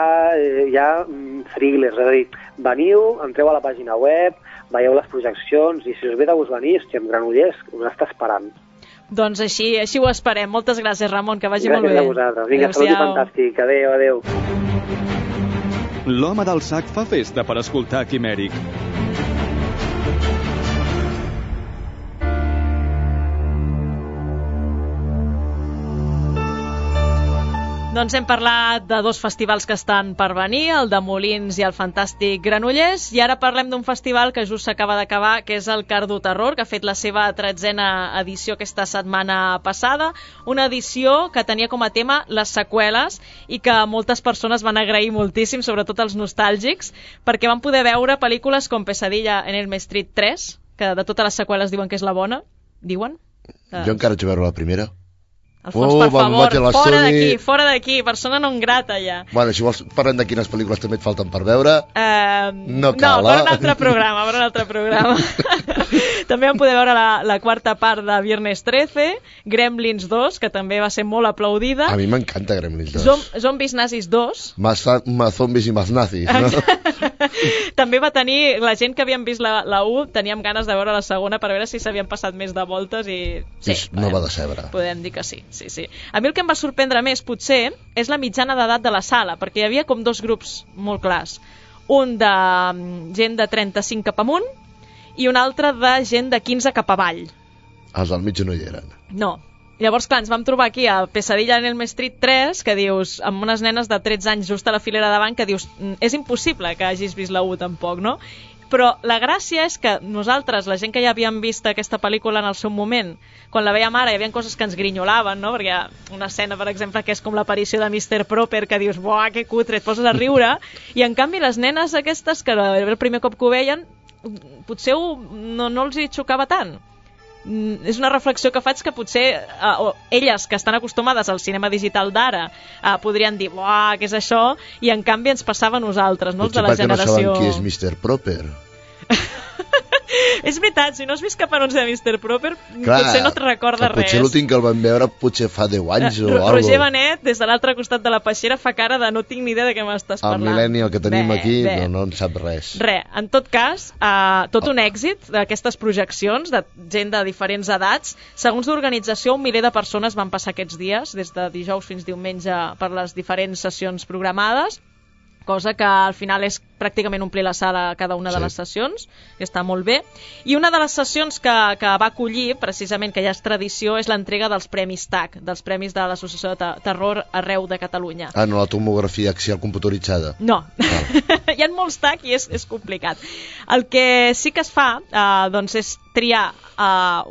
thrillers, és a dir, veniu, entreu a la pàgina web, veieu les projeccions, i si us ve de gust venir, hòstia, en Granollers us està esperant. Doncs així ho esperem. Moltes gràcies, Ramon, que vagi molt bé. Gràcies a vosaltres. Vinga, salut i fantàstic. Adéu. L'home del sac fa festa per escoltar Quimèric. Doncs hem parlat de 2 festivals que estan per venir, el de Molins i el fantàstic Granollers, i ara parlem d'un festival que just s'acaba d'acabar, que és el Cardo Terror, que ha fet la seva 13a edició aquesta setmana passada, una edició que tenia com a tema les seqüeles i que moltes persones van agrair moltíssim, sobretot els nostàlgics, perquè van poder veure pel·lícules com Pesadilla en Elm Street 3, que de totes les seqüeles diuen que és la bona, diuen? Jo encara vaig veure la primera. Alfons, per favor, fora d'aquí, persona non grata ja. Bueno, si vols parlem de quines pel·lícules també et falten per veure, no cal, No, per un altre programa. També vam poder veure la quarta part de Viernes 13, Gremlins 2, que també va ser molt aplaudida. A mi m'encanta Gremlins 2. Zombies Nazis 2. Más zombies i más nazis, no? També va tenir, la gent que havíem vist la 1, teníem ganes de veure la segona per veure si s'havien passat més de voltes i... Sí, no va decebre. Podem dir que sí. A mi el que em va sorprendre més, potser, és la mitjana d'edat de la sala, perquè hi havia com 2 grups molt clars. Un de gent de 35 cap amunt i un altre de gent de 15 cap avall. Els del mig no hi eren. No. Llavors, clar, ens vam trobar aquí a Pesadilla en Elm Street 3, que dius, amb unes nenes de 13 anys just a la filera davant, que dius, és impossible que hagis vist la 1 tampoc, no? Però la gràcia és que nosaltres, la gent que ja havíem vist aquesta pel·lícula en el seu moment, quan la veiem ara hi havia coses que ens grinyolaven, no? Perquè hi ha una escena, per exemple, que és com l'aparició de Mr. Proper, que dius, buah, que cutre, et poses a riure, i en canvi les nenes aquestes, que el primer cop que ho veien, potser no els hi xocava tant. És una reflexió que faig que potser elles que estan acostumades al cinema digital d'ara podrien dir, buah, què és això? I en canvi ens passava a nosaltres, no? Els de la generació... Potser perquè no saben qui és Mr. Proper. És veritat, si no has vist cap anunci de Mr. Proper, potser no et recorda res. Potser l'últim que el vam veure potser fa 10 anys o alguna cosa. Roger Benet, des de l'altre costat de la peixera, fa cara de no tinc ni idea de què m'estàs parlant. El millennial que tenim aquí no en sap res. En tot cas, tot un èxit d'aquestes projeccions de gent de diferents edats. Segons l'organització, 1 miler de persones van passar aquests dies, des de dijous fins diumenge, per les diferents sessions programades, cosa que al final és pràcticament omplir la sala a cada una de les sessions, que està molt bé. I una de les sessions que va acollir, precisament, que ja és tradició, és l'entrega dels Premis TAC, dels Premis de l'Associació de Terror arreu de Catalunya. No la tomografia axial computaritzada. No, hi ha molts TAC i és complicat. El que sí que es fa, doncs, és triar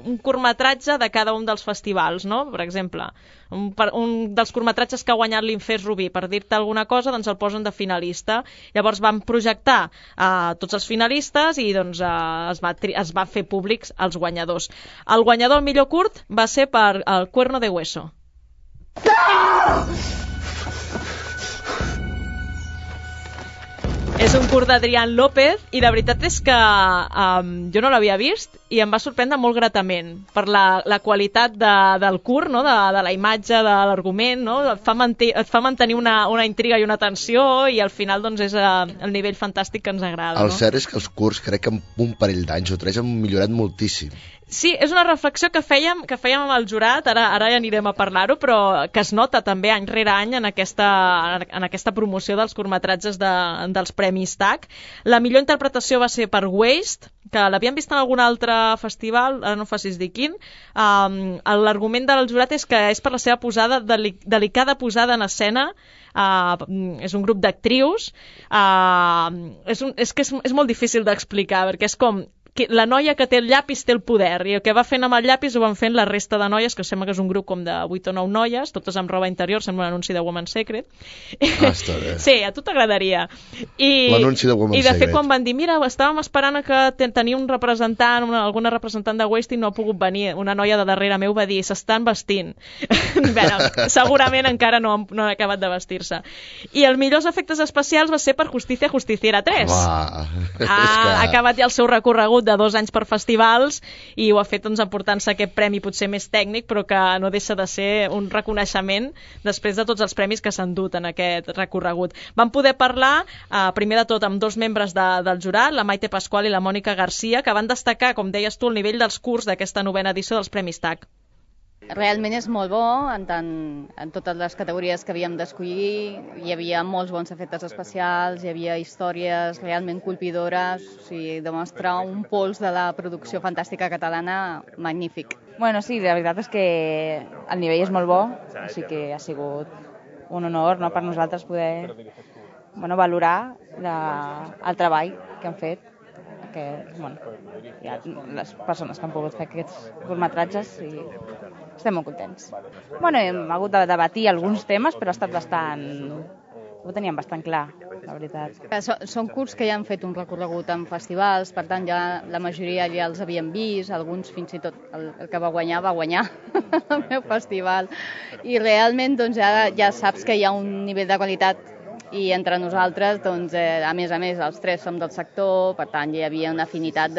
un curtmetratge de cada un dels festivals, no? Per exemple, un dels curtmetratges que ha guanyat l'Infés Rubí, per dir-te alguna cosa, doncs el posen de finalista. Llavors van projectar tots els finalistes i doncs es va fer públics els guanyadors. El guanyador al millor curt va ser per El Cuerno de Hueso. És un curt d'Adrián López i la veritat és que jo no l'havia vist i em va sorprendre molt gratament per la qualitat del curt, no? de la imatge, de l'argument, no? Et fa mantenir una intriga i una tensió i al final doncs, és el nivell fantàstic que ens agrada. El cert és que els curts crec que en un parell d'anys o 3 han millorat moltíssim. Sí, és una reflexió que fèiem amb el jurat, ara ja anirem a parlar-ho, però que es nota també any rere any en aquesta promoció dels curtmetratges dels Premis TAC. La millor interpretació va ser per Waste, que l'havíem vist en algun altre festival, ara no facis dir quin. L'argument del jurat és que és per la seva delicada posada en escena. És un grup d'actrius. És molt difícil d'explicar, perquè és com que la noia que té el llapis té el poder, i el que va fent amb el llapis ho van fent la resta de noies, que sembla que és un grup com de 8 o 9 noies, totes amb roba interior, sembla un anunci de Woman's Secret. Està bé. Sí, a tu t'agradaria. L'anunci de Woman's Secret. I de fet, quan van dir, mira, estàvem esperant que tenia un representant, alguna representant de Waste i no ha pogut venir, una noia de darrere meu va dir, s'estan vestint. Bé, segurament encara no han acabat de vestir-se. I els millors efectes especials va ser per Justicia Justiciera 3. Ha acabat ja el seu recorregut de 2 anys per festivals i ho ha fet emportant-se aquest premi potser més tècnic, però que no deixa de ser un reconeixement després de tots els premis que s'han dut en aquest recorregut. Vam poder parlar primer de tot amb 2 membres del jurat, la Maite Pascual i la Mònica Garcia, que van destacar, com deies tu, el nivell dels curts d'aquesta 9ª edició dels Premis TAC. Realment és molt bo, en totes les categories que havíem d'escollir. Hi havia molts bons efectes especials, hi havia històries realment colpidores, o sigui, demostra un pols de la producció fantàstica catalana magnífic. Bueno, sí, la veritat és que el nivell és molt bo, així que ha sigut un honor, no, per nosaltres poder valorar el treball que han fet, que hi ha les persones que han pogut fer aquests curtmetratges i estem molt contents. Hem hagut de debatir alguns temes, però ha estat bastant... Ho teníem bastant clar, la veritat. Són curts que ja han fet un recorregut en festivals, per tant ja la majoria ja els havíem vist, alguns fins i tot el que va guanyar el meu festival. I realment ja saps que hi ha un nivell de qualitat i entre nosaltres, a més, els 3 som del sector, per tant hi havia una afinitat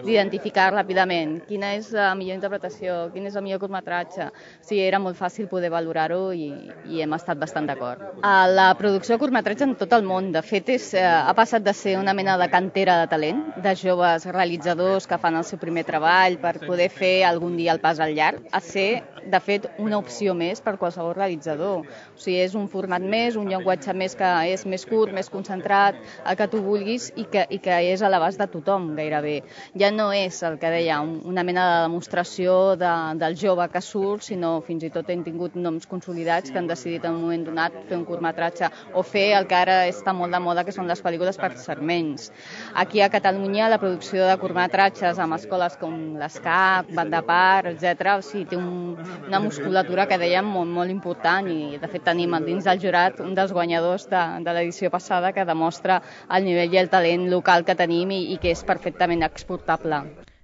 d'identificar ràpidament quina és la millor interpretació, quin és el millor curtmetratge. Sí, era molt fàcil poder valorar-ho i hem estat bastant d'acord. La producció de curtmetratge en tot el món, de fet, ha passat de ser una mena de cantera de talent, de joves realitzadors que fan el seu primer treball per poder fer algun dia el pas al llarg, a ser, de fet, una opció més per qualsevol realitzador. O sigui, és un format més, un llenguatge més que és més curt, més concentrat, el que tu vulguis i que és a l'abast de tothom gairebé. Ja no és el que deia una mena de demostració del jove que surt, sinó fins i tot hem tingut noms consolidats que han decidit en un moment donat fer un curtmetratge o fer el que ara està molt de moda, que són les pel·lícules per segments. Aquí a Catalunya la producció de curtmetratges amb escoles com l'ESCAP, Banda Par, etc. O sigui, té una musculatura que dèiem molt important i de fet tenim dins del jurat un dels guanyadors de l'edició passada que demostra el nivell i el talent local que tenim i que és perfectament exportable.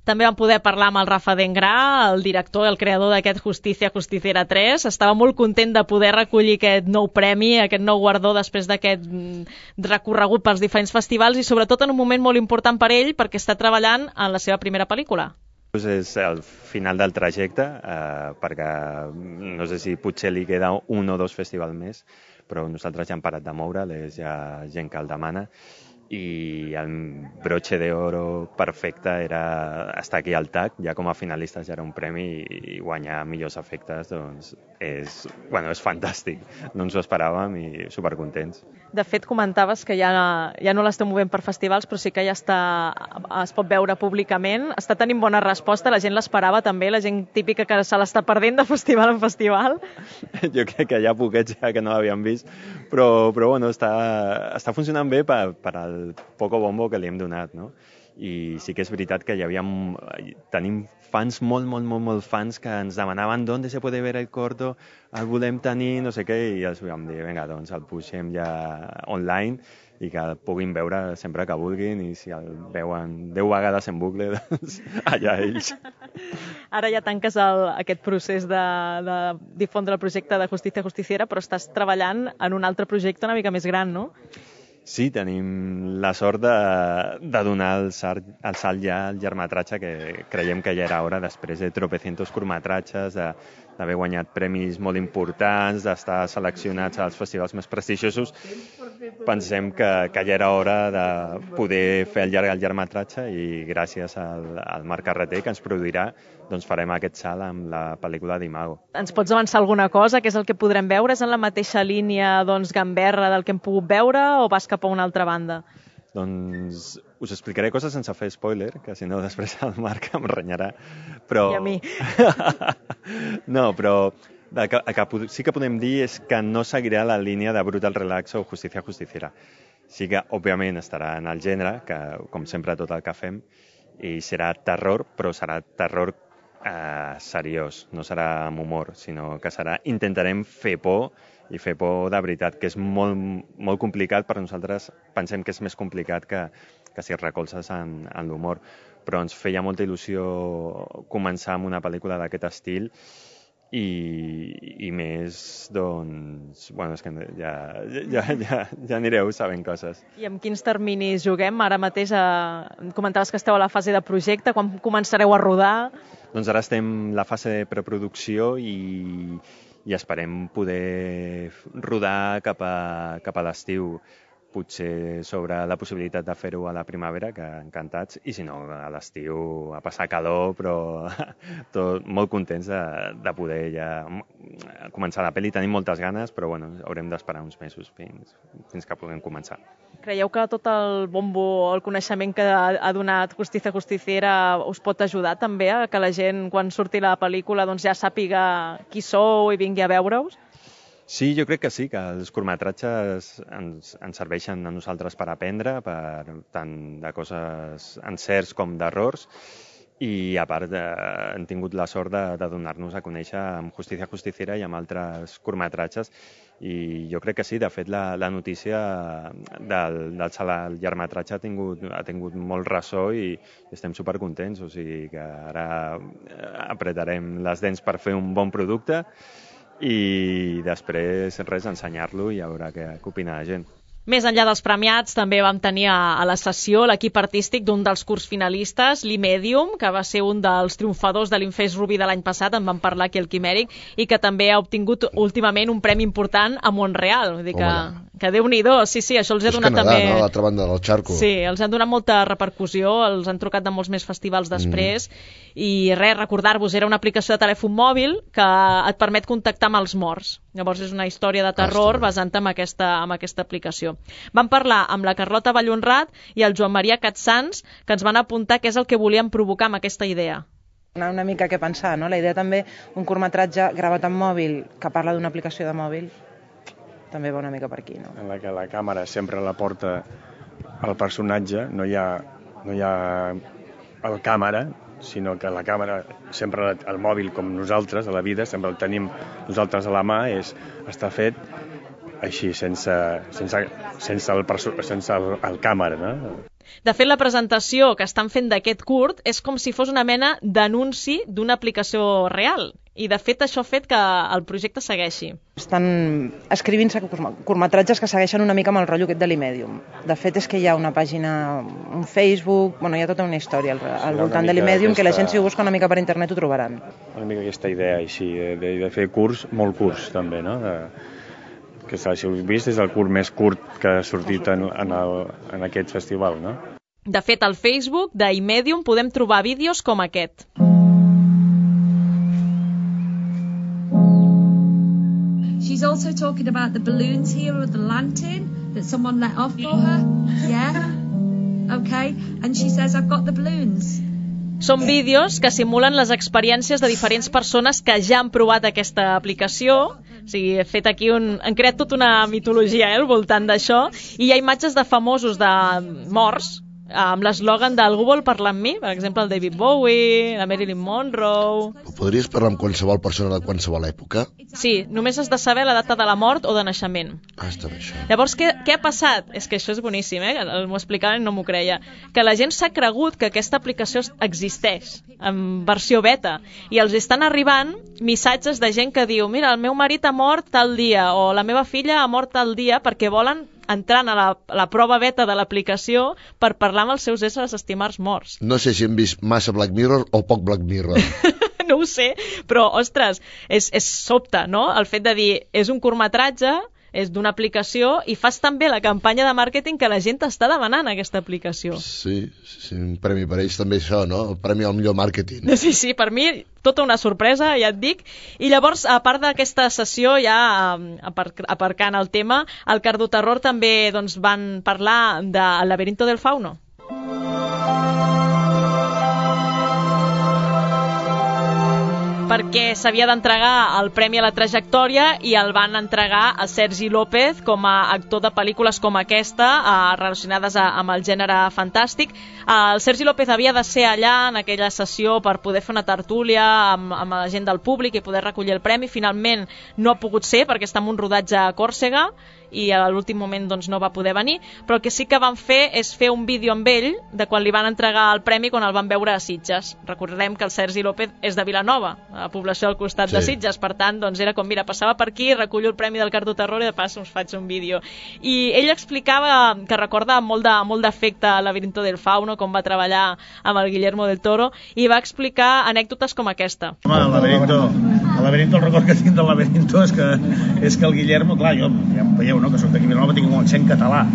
També vam poder parlar amb el Rafa Dengrà, el director i el creador d'aquest Justicia Justiciera 3. Estava molt content de poder recollir aquest nou premi, aquest nou guardó després d'aquest recorregut pels diferents festivals i sobretot en un moment molt important per ell perquè està treballant en la seva primera pel·lícula. És el final del trajecte, perquè no sé si potser li queda 1 o 2 festivals més, però nosaltres ja hem parat de moure, hi ha gent que el demana i el broche d'oro perfecte era estar aquí al TAC, ja com a finalistes ja era un premi i guanyar millors efectes doncs és fantàstic, no ens ho esperàvem i supercontents. De fet, comentaves que ja no l'esteu movent per festivals, però sí que ja es pot veure públicament. Està tenint bona resposta, la gent l'esperava també, la gent típica que se l'està perdent de festival en festival. Jo crec que hi ha poquets ja que no l'havien vist, però bueno, està funcionant bé per al poco bombo que li hem donat, no? I sí que és veritat que tenim fans, molt fans que ens demanaven d'on se puede ver el corto, el volem tenir, no sé què, i els vam dir, vinga, doncs el puixem ja online i que el puguin veure sempre que vulguin i si el veuen 10 vegades en bucle, doncs allà ells. Ara ja tanques aquest procés de difondre el projecte de Justicia Justiciera, però estàs treballant en un altre projecte una mica més gran, no? Sí, tenim la sort de donar el salt ja al llargmetratge, que creiem que ja era hora, després de tropecientos curtmetratges, d'haver guanyat premis molt importants, d'estar seleccionats als festivals més prestigiosos, pensem que ja era hora de poder fer el llargmetratge i gràcies al Marc Carreter, que ens produirà, doncs farem aquest salt amb la pel·lícula d'Imago. Ens pots avançar alguna cosa? Què és el que podrem veure? És en la mateixa línia gamberra del que hem pogut veure o vas cap a una altra banda? Doncs us explicaré coses sense fer spoiler, que si no després el Marc em renyarà. Però... I a mi. No, però el que sí que podem dir és que no seguirà la línia de Brutal Relax o Justicia Justiciera. Sí que, òbviament, estarà en el gènere, que com sempre tot el que fem, i serà terror, però serà terror seriós, no serà amb humor, sinó que intentarem fer por, i fer por de veritat, que és molt, molt complicat per nosaltres. Pensem que és més complicat que si et recolzes en l'humor, però ens feia molta il·lusió començar amb una pel·lícula d'aquest estil i més, doncs, bueno, és que ja anireu sabent coses. I amb quins terminis juguem? Ara mateix comentaves que esteu a la fase de projecte, quan començareu a rodar? Doncs ara estem en la fase de preproducció i esperem poder rodar cap a l'estiu, potser sobre la possibilitat de fer-ho a la primavera, que encantats, i si no, a l'estiu a passar calor, però molt contents de poder ja començar la pel·li. Tenim moltes ganes, però bueno, haurem d'esperar uns mesos fins que puguem començar. Creieu que tot el bombo, el coneixement que ha donat Justicia Justiciera us pot ajudar també a que la gent, quan surti la pel·lícula, doncs ja sàpiga qui sou i vingui a veure-us? Sí, jo crec que sí, que els curtmetratges ens serveixen a nosaltres per aprendre, tant de coses encerts com d'errors, i a part hem tingut la sort de donar-nos a conèixer amb Justicia Justiciera i amb altres curtmetratges, i jo crec que sí. De fet, la notícia del llargmetratge ha tingut molt ressò i estem supercontents, o sigui que ara apretarem les dents per fer un bon producte i després ensenyar-lo i a veure què opina la gent. Més enllà dels premiats, també vam tenir a la sessió l'equip artístic d'un dels curts finalistes, l'Imedium, que va ser un dels triomfadors de l'Infest Ruby de l'any passat, en vam parlar aquí al Quimèric, i que també ha obtingut últimament un premi important a Montreal. Vull dir que Déu-n'hi-do, sí, això els ha donat Canadà, també... No? A l'altra banda del xarco. Sí, els han donat molta repercussió, els han trucat de molts més festivals després, i recordar-vos, era una aplicació de telèfon mòbil que et permet contactar amb els morts. Llavors és una història de terror basant en aquesta aplicació. Vam parlar amb la Carlota Vallhonrat i el Joan Maria Catsans, que ens van apuntar què és el que volien provocar amb aquesta idea. Una mica què pensar, no? La idea també, un curtmetratge gravat en mòbil que parla d'una aplicació de mòbil, també va una mica per aquí, no? En la que la càmera sempre la porta al personatge, no hi ha el càmera, sinó que la càmera, sempre el mòbil com nosaltres, a la vida, sempre el tenim nosaltres a la mà, està fet així, sense el càmera, no? De fet, la presentació que estan fent d'aquest curt és com si fos una mena d'anunci d'una aplicació real. I, de fet, això ha fet que el projecte segueixi. Estan escrivint-se curtmetratges que segueixen una mica amb el rotllo aquest de l'Imedium. De fet, és que hi ha una pàgina, un Facebook, hi ha tota una història al voltant de l'Imedium, que la gent, si ho busca una mica per internet, ho trobaran. Una mica aquesta idea així, de fer curts, molt curts, també, no? Que si ho heu vist, és el curt més curt que ha sortit en aquest festival, no? De fet, al Facebook d'Imedium podem trobar vídeos com aquest. She's also talking about the balloons here with the lantern that someone let off for her. Yeah? Okay. And she says, I've got the balloons. Són vídeos que simulen les experiències de diferents persones que ja han provat aquesta aplicació. O sigui, he fet aquí han creat tota una mitologia al voltant d'això, i hi ha imatges de famosos de morts amb l'eslògan del Algú vol parlar amb mi, per exemple el David Bowie, la Marilyn Monroe... Podries parlar amb qualsevol persona de qualsevol època? Sí, només has de saber la data de la mort o de naixement. Està bé, això. Llavors, què ha passat? És que això és boníssim, m'ho explicaven i no m'ho creia. Que la gent s'ha cregut que aquesta aplicació existeix, en versió beta, i els estan arribant missatges de gent que diu, mira, el meu marit ha mort tal dia, o la meva filla ha mort tal dia, perquè volen entrant a la prova beta de l'aplicació per parlar amb els seus éssers estimats morts. No sé si hem vist massa Black Mirror o poc Black Mirror. No ho sé, però, ostres, és sobte, no? El fet de dir, és un curtmetratge és d'una aplicació i fas tan bé la campanya de màrqueting que la gent està demanant aquesta aplicació. Sí, un premi per ells també això, no? El premi al millor màrqueting. Sí, per mi tota una sorpresa, ja et dic. I llavors, a part d'aquesta sessió, ja aparcant el tema, al Cardoterror també van parlar del Laberinto del Fauno. Perquè s'havia d'entregar el Premi a la Trajectòria i el van entregar a Sergi López com a actor de pel·lícules com aquesta, relacionades amb el gènere fantàstic. El Sergi López havia de ser allà en aquella sessió per poder fer una tertúlia amb la gent del públic i poder recollir el premi. Finalment no ha pogut ser perquè està en un rodatge a Còrsega i a l'últim moment no va poder venir, però el que sí que van fer és fer un vídeo amb ell de quan li van entregar el premi quan el van veure a Sitges. Recordem que el Sergi López és de Vilanova, a la població al costat de Sitges, per tant, era com, mira, passava per aquí, recullo el premi del Cardoterror i de pas us faig un vídeo. I ell explicava que recorda molt d'afecte al Laberinto del Fauno, com va treballar amb el Guillermo del Toro, i va explicar anècdotes com aquesta. Home, el Laberinto, el record que tinc del Laberinto és que el Guillermo, clar, jo ja em veieu, no?, que soc d'aquí a Vilanova, tinc un accent català.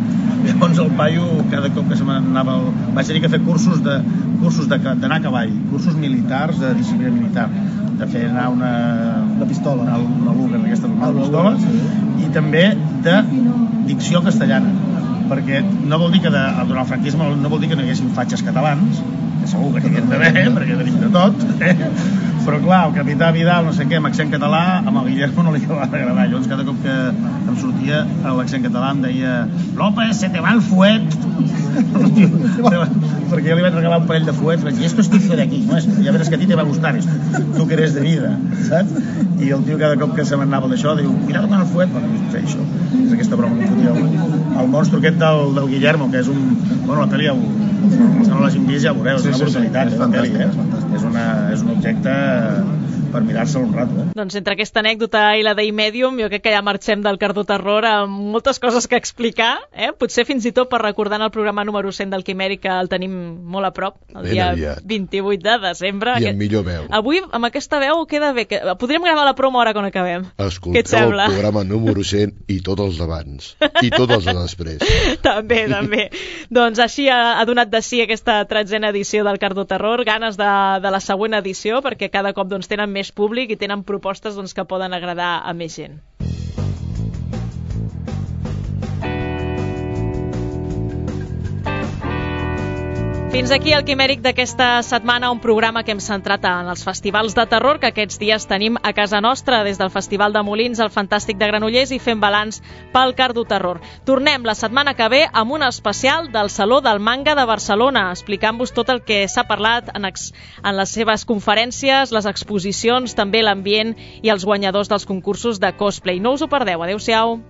Llavors el paio, cada cop que se m'anava... Vaig tenir que fer cursos d'anar a cavall, cursos militars de disciplina militar, de fer anar una pistola, una Luger, aquesta pistola, i també de dicció castellana, perquè no vol dir que durant el franquisme no vol dir que no hi haguessin fatxes catalans, que segur que n'hi havien d'haver, perquè tenim de tot, però clar, el capità Vidal, no sé què, amb accent català, amb el Guillermo no li acabava d'agradar. Llavors cada cop que em sortia l'accent català em deia López, se te va el fuet. Perquè jo li vaig regalar un parell de fuets, vaig dir, esto es típico de aquí, ¿no? Ya verás que a ti te va a gustar esto, tu que eres de vida, saps? I el tio cada cop que se m'anava d'això diu, cuidado con el fuet, bueno, fer això, és aquesta broma que fotia el monstru aquest del Guillermo, que és un... Bueno, la pel·li, els que no l'hagin vist ja ho veureu, és una brutalitat, la pel·li, és un objecte per mirar-se'l un rato. Doncs entre aquesta anècdota i la d'Imedium, jo crec que ja marxem del Cardoterror amb moltes coses que explicar, potser fins i tot per recordar en el programa número 100 del Quimèric, que el tenim molt a prop, el dia 28 de desembre. I amb millor veu. Avui, amb aquesta veu, queda bé. Podríem gravar la promo ara quan acabem. Escolteu el programa número 100 i tots els d'abans. I tots els de després. També. Doncs així ha donat de si aquesta 13a edició del Cardoterror, ganes de la següent edició, perquè cada cop tenen més públic i tenen propostes que poden agradar a més gent. Fins aquí el Quimèric d'aquesta setmana, un programa que hem centrat en els festivals de terror que aquests dies tenim a casa nostra, des del Festival de Molins al Fantàstic de Granollers i fent balanç pel Cardoterror. Tornem la setmana que ve amb un especial del Saló del Manga de Barcelona, explicant-vos tot el que s'ha parlat en les seves conferències, les exposicions, també l'ambient i els guanyadors dels concursos de cosplay. No us ho perdeu, adeu-siau.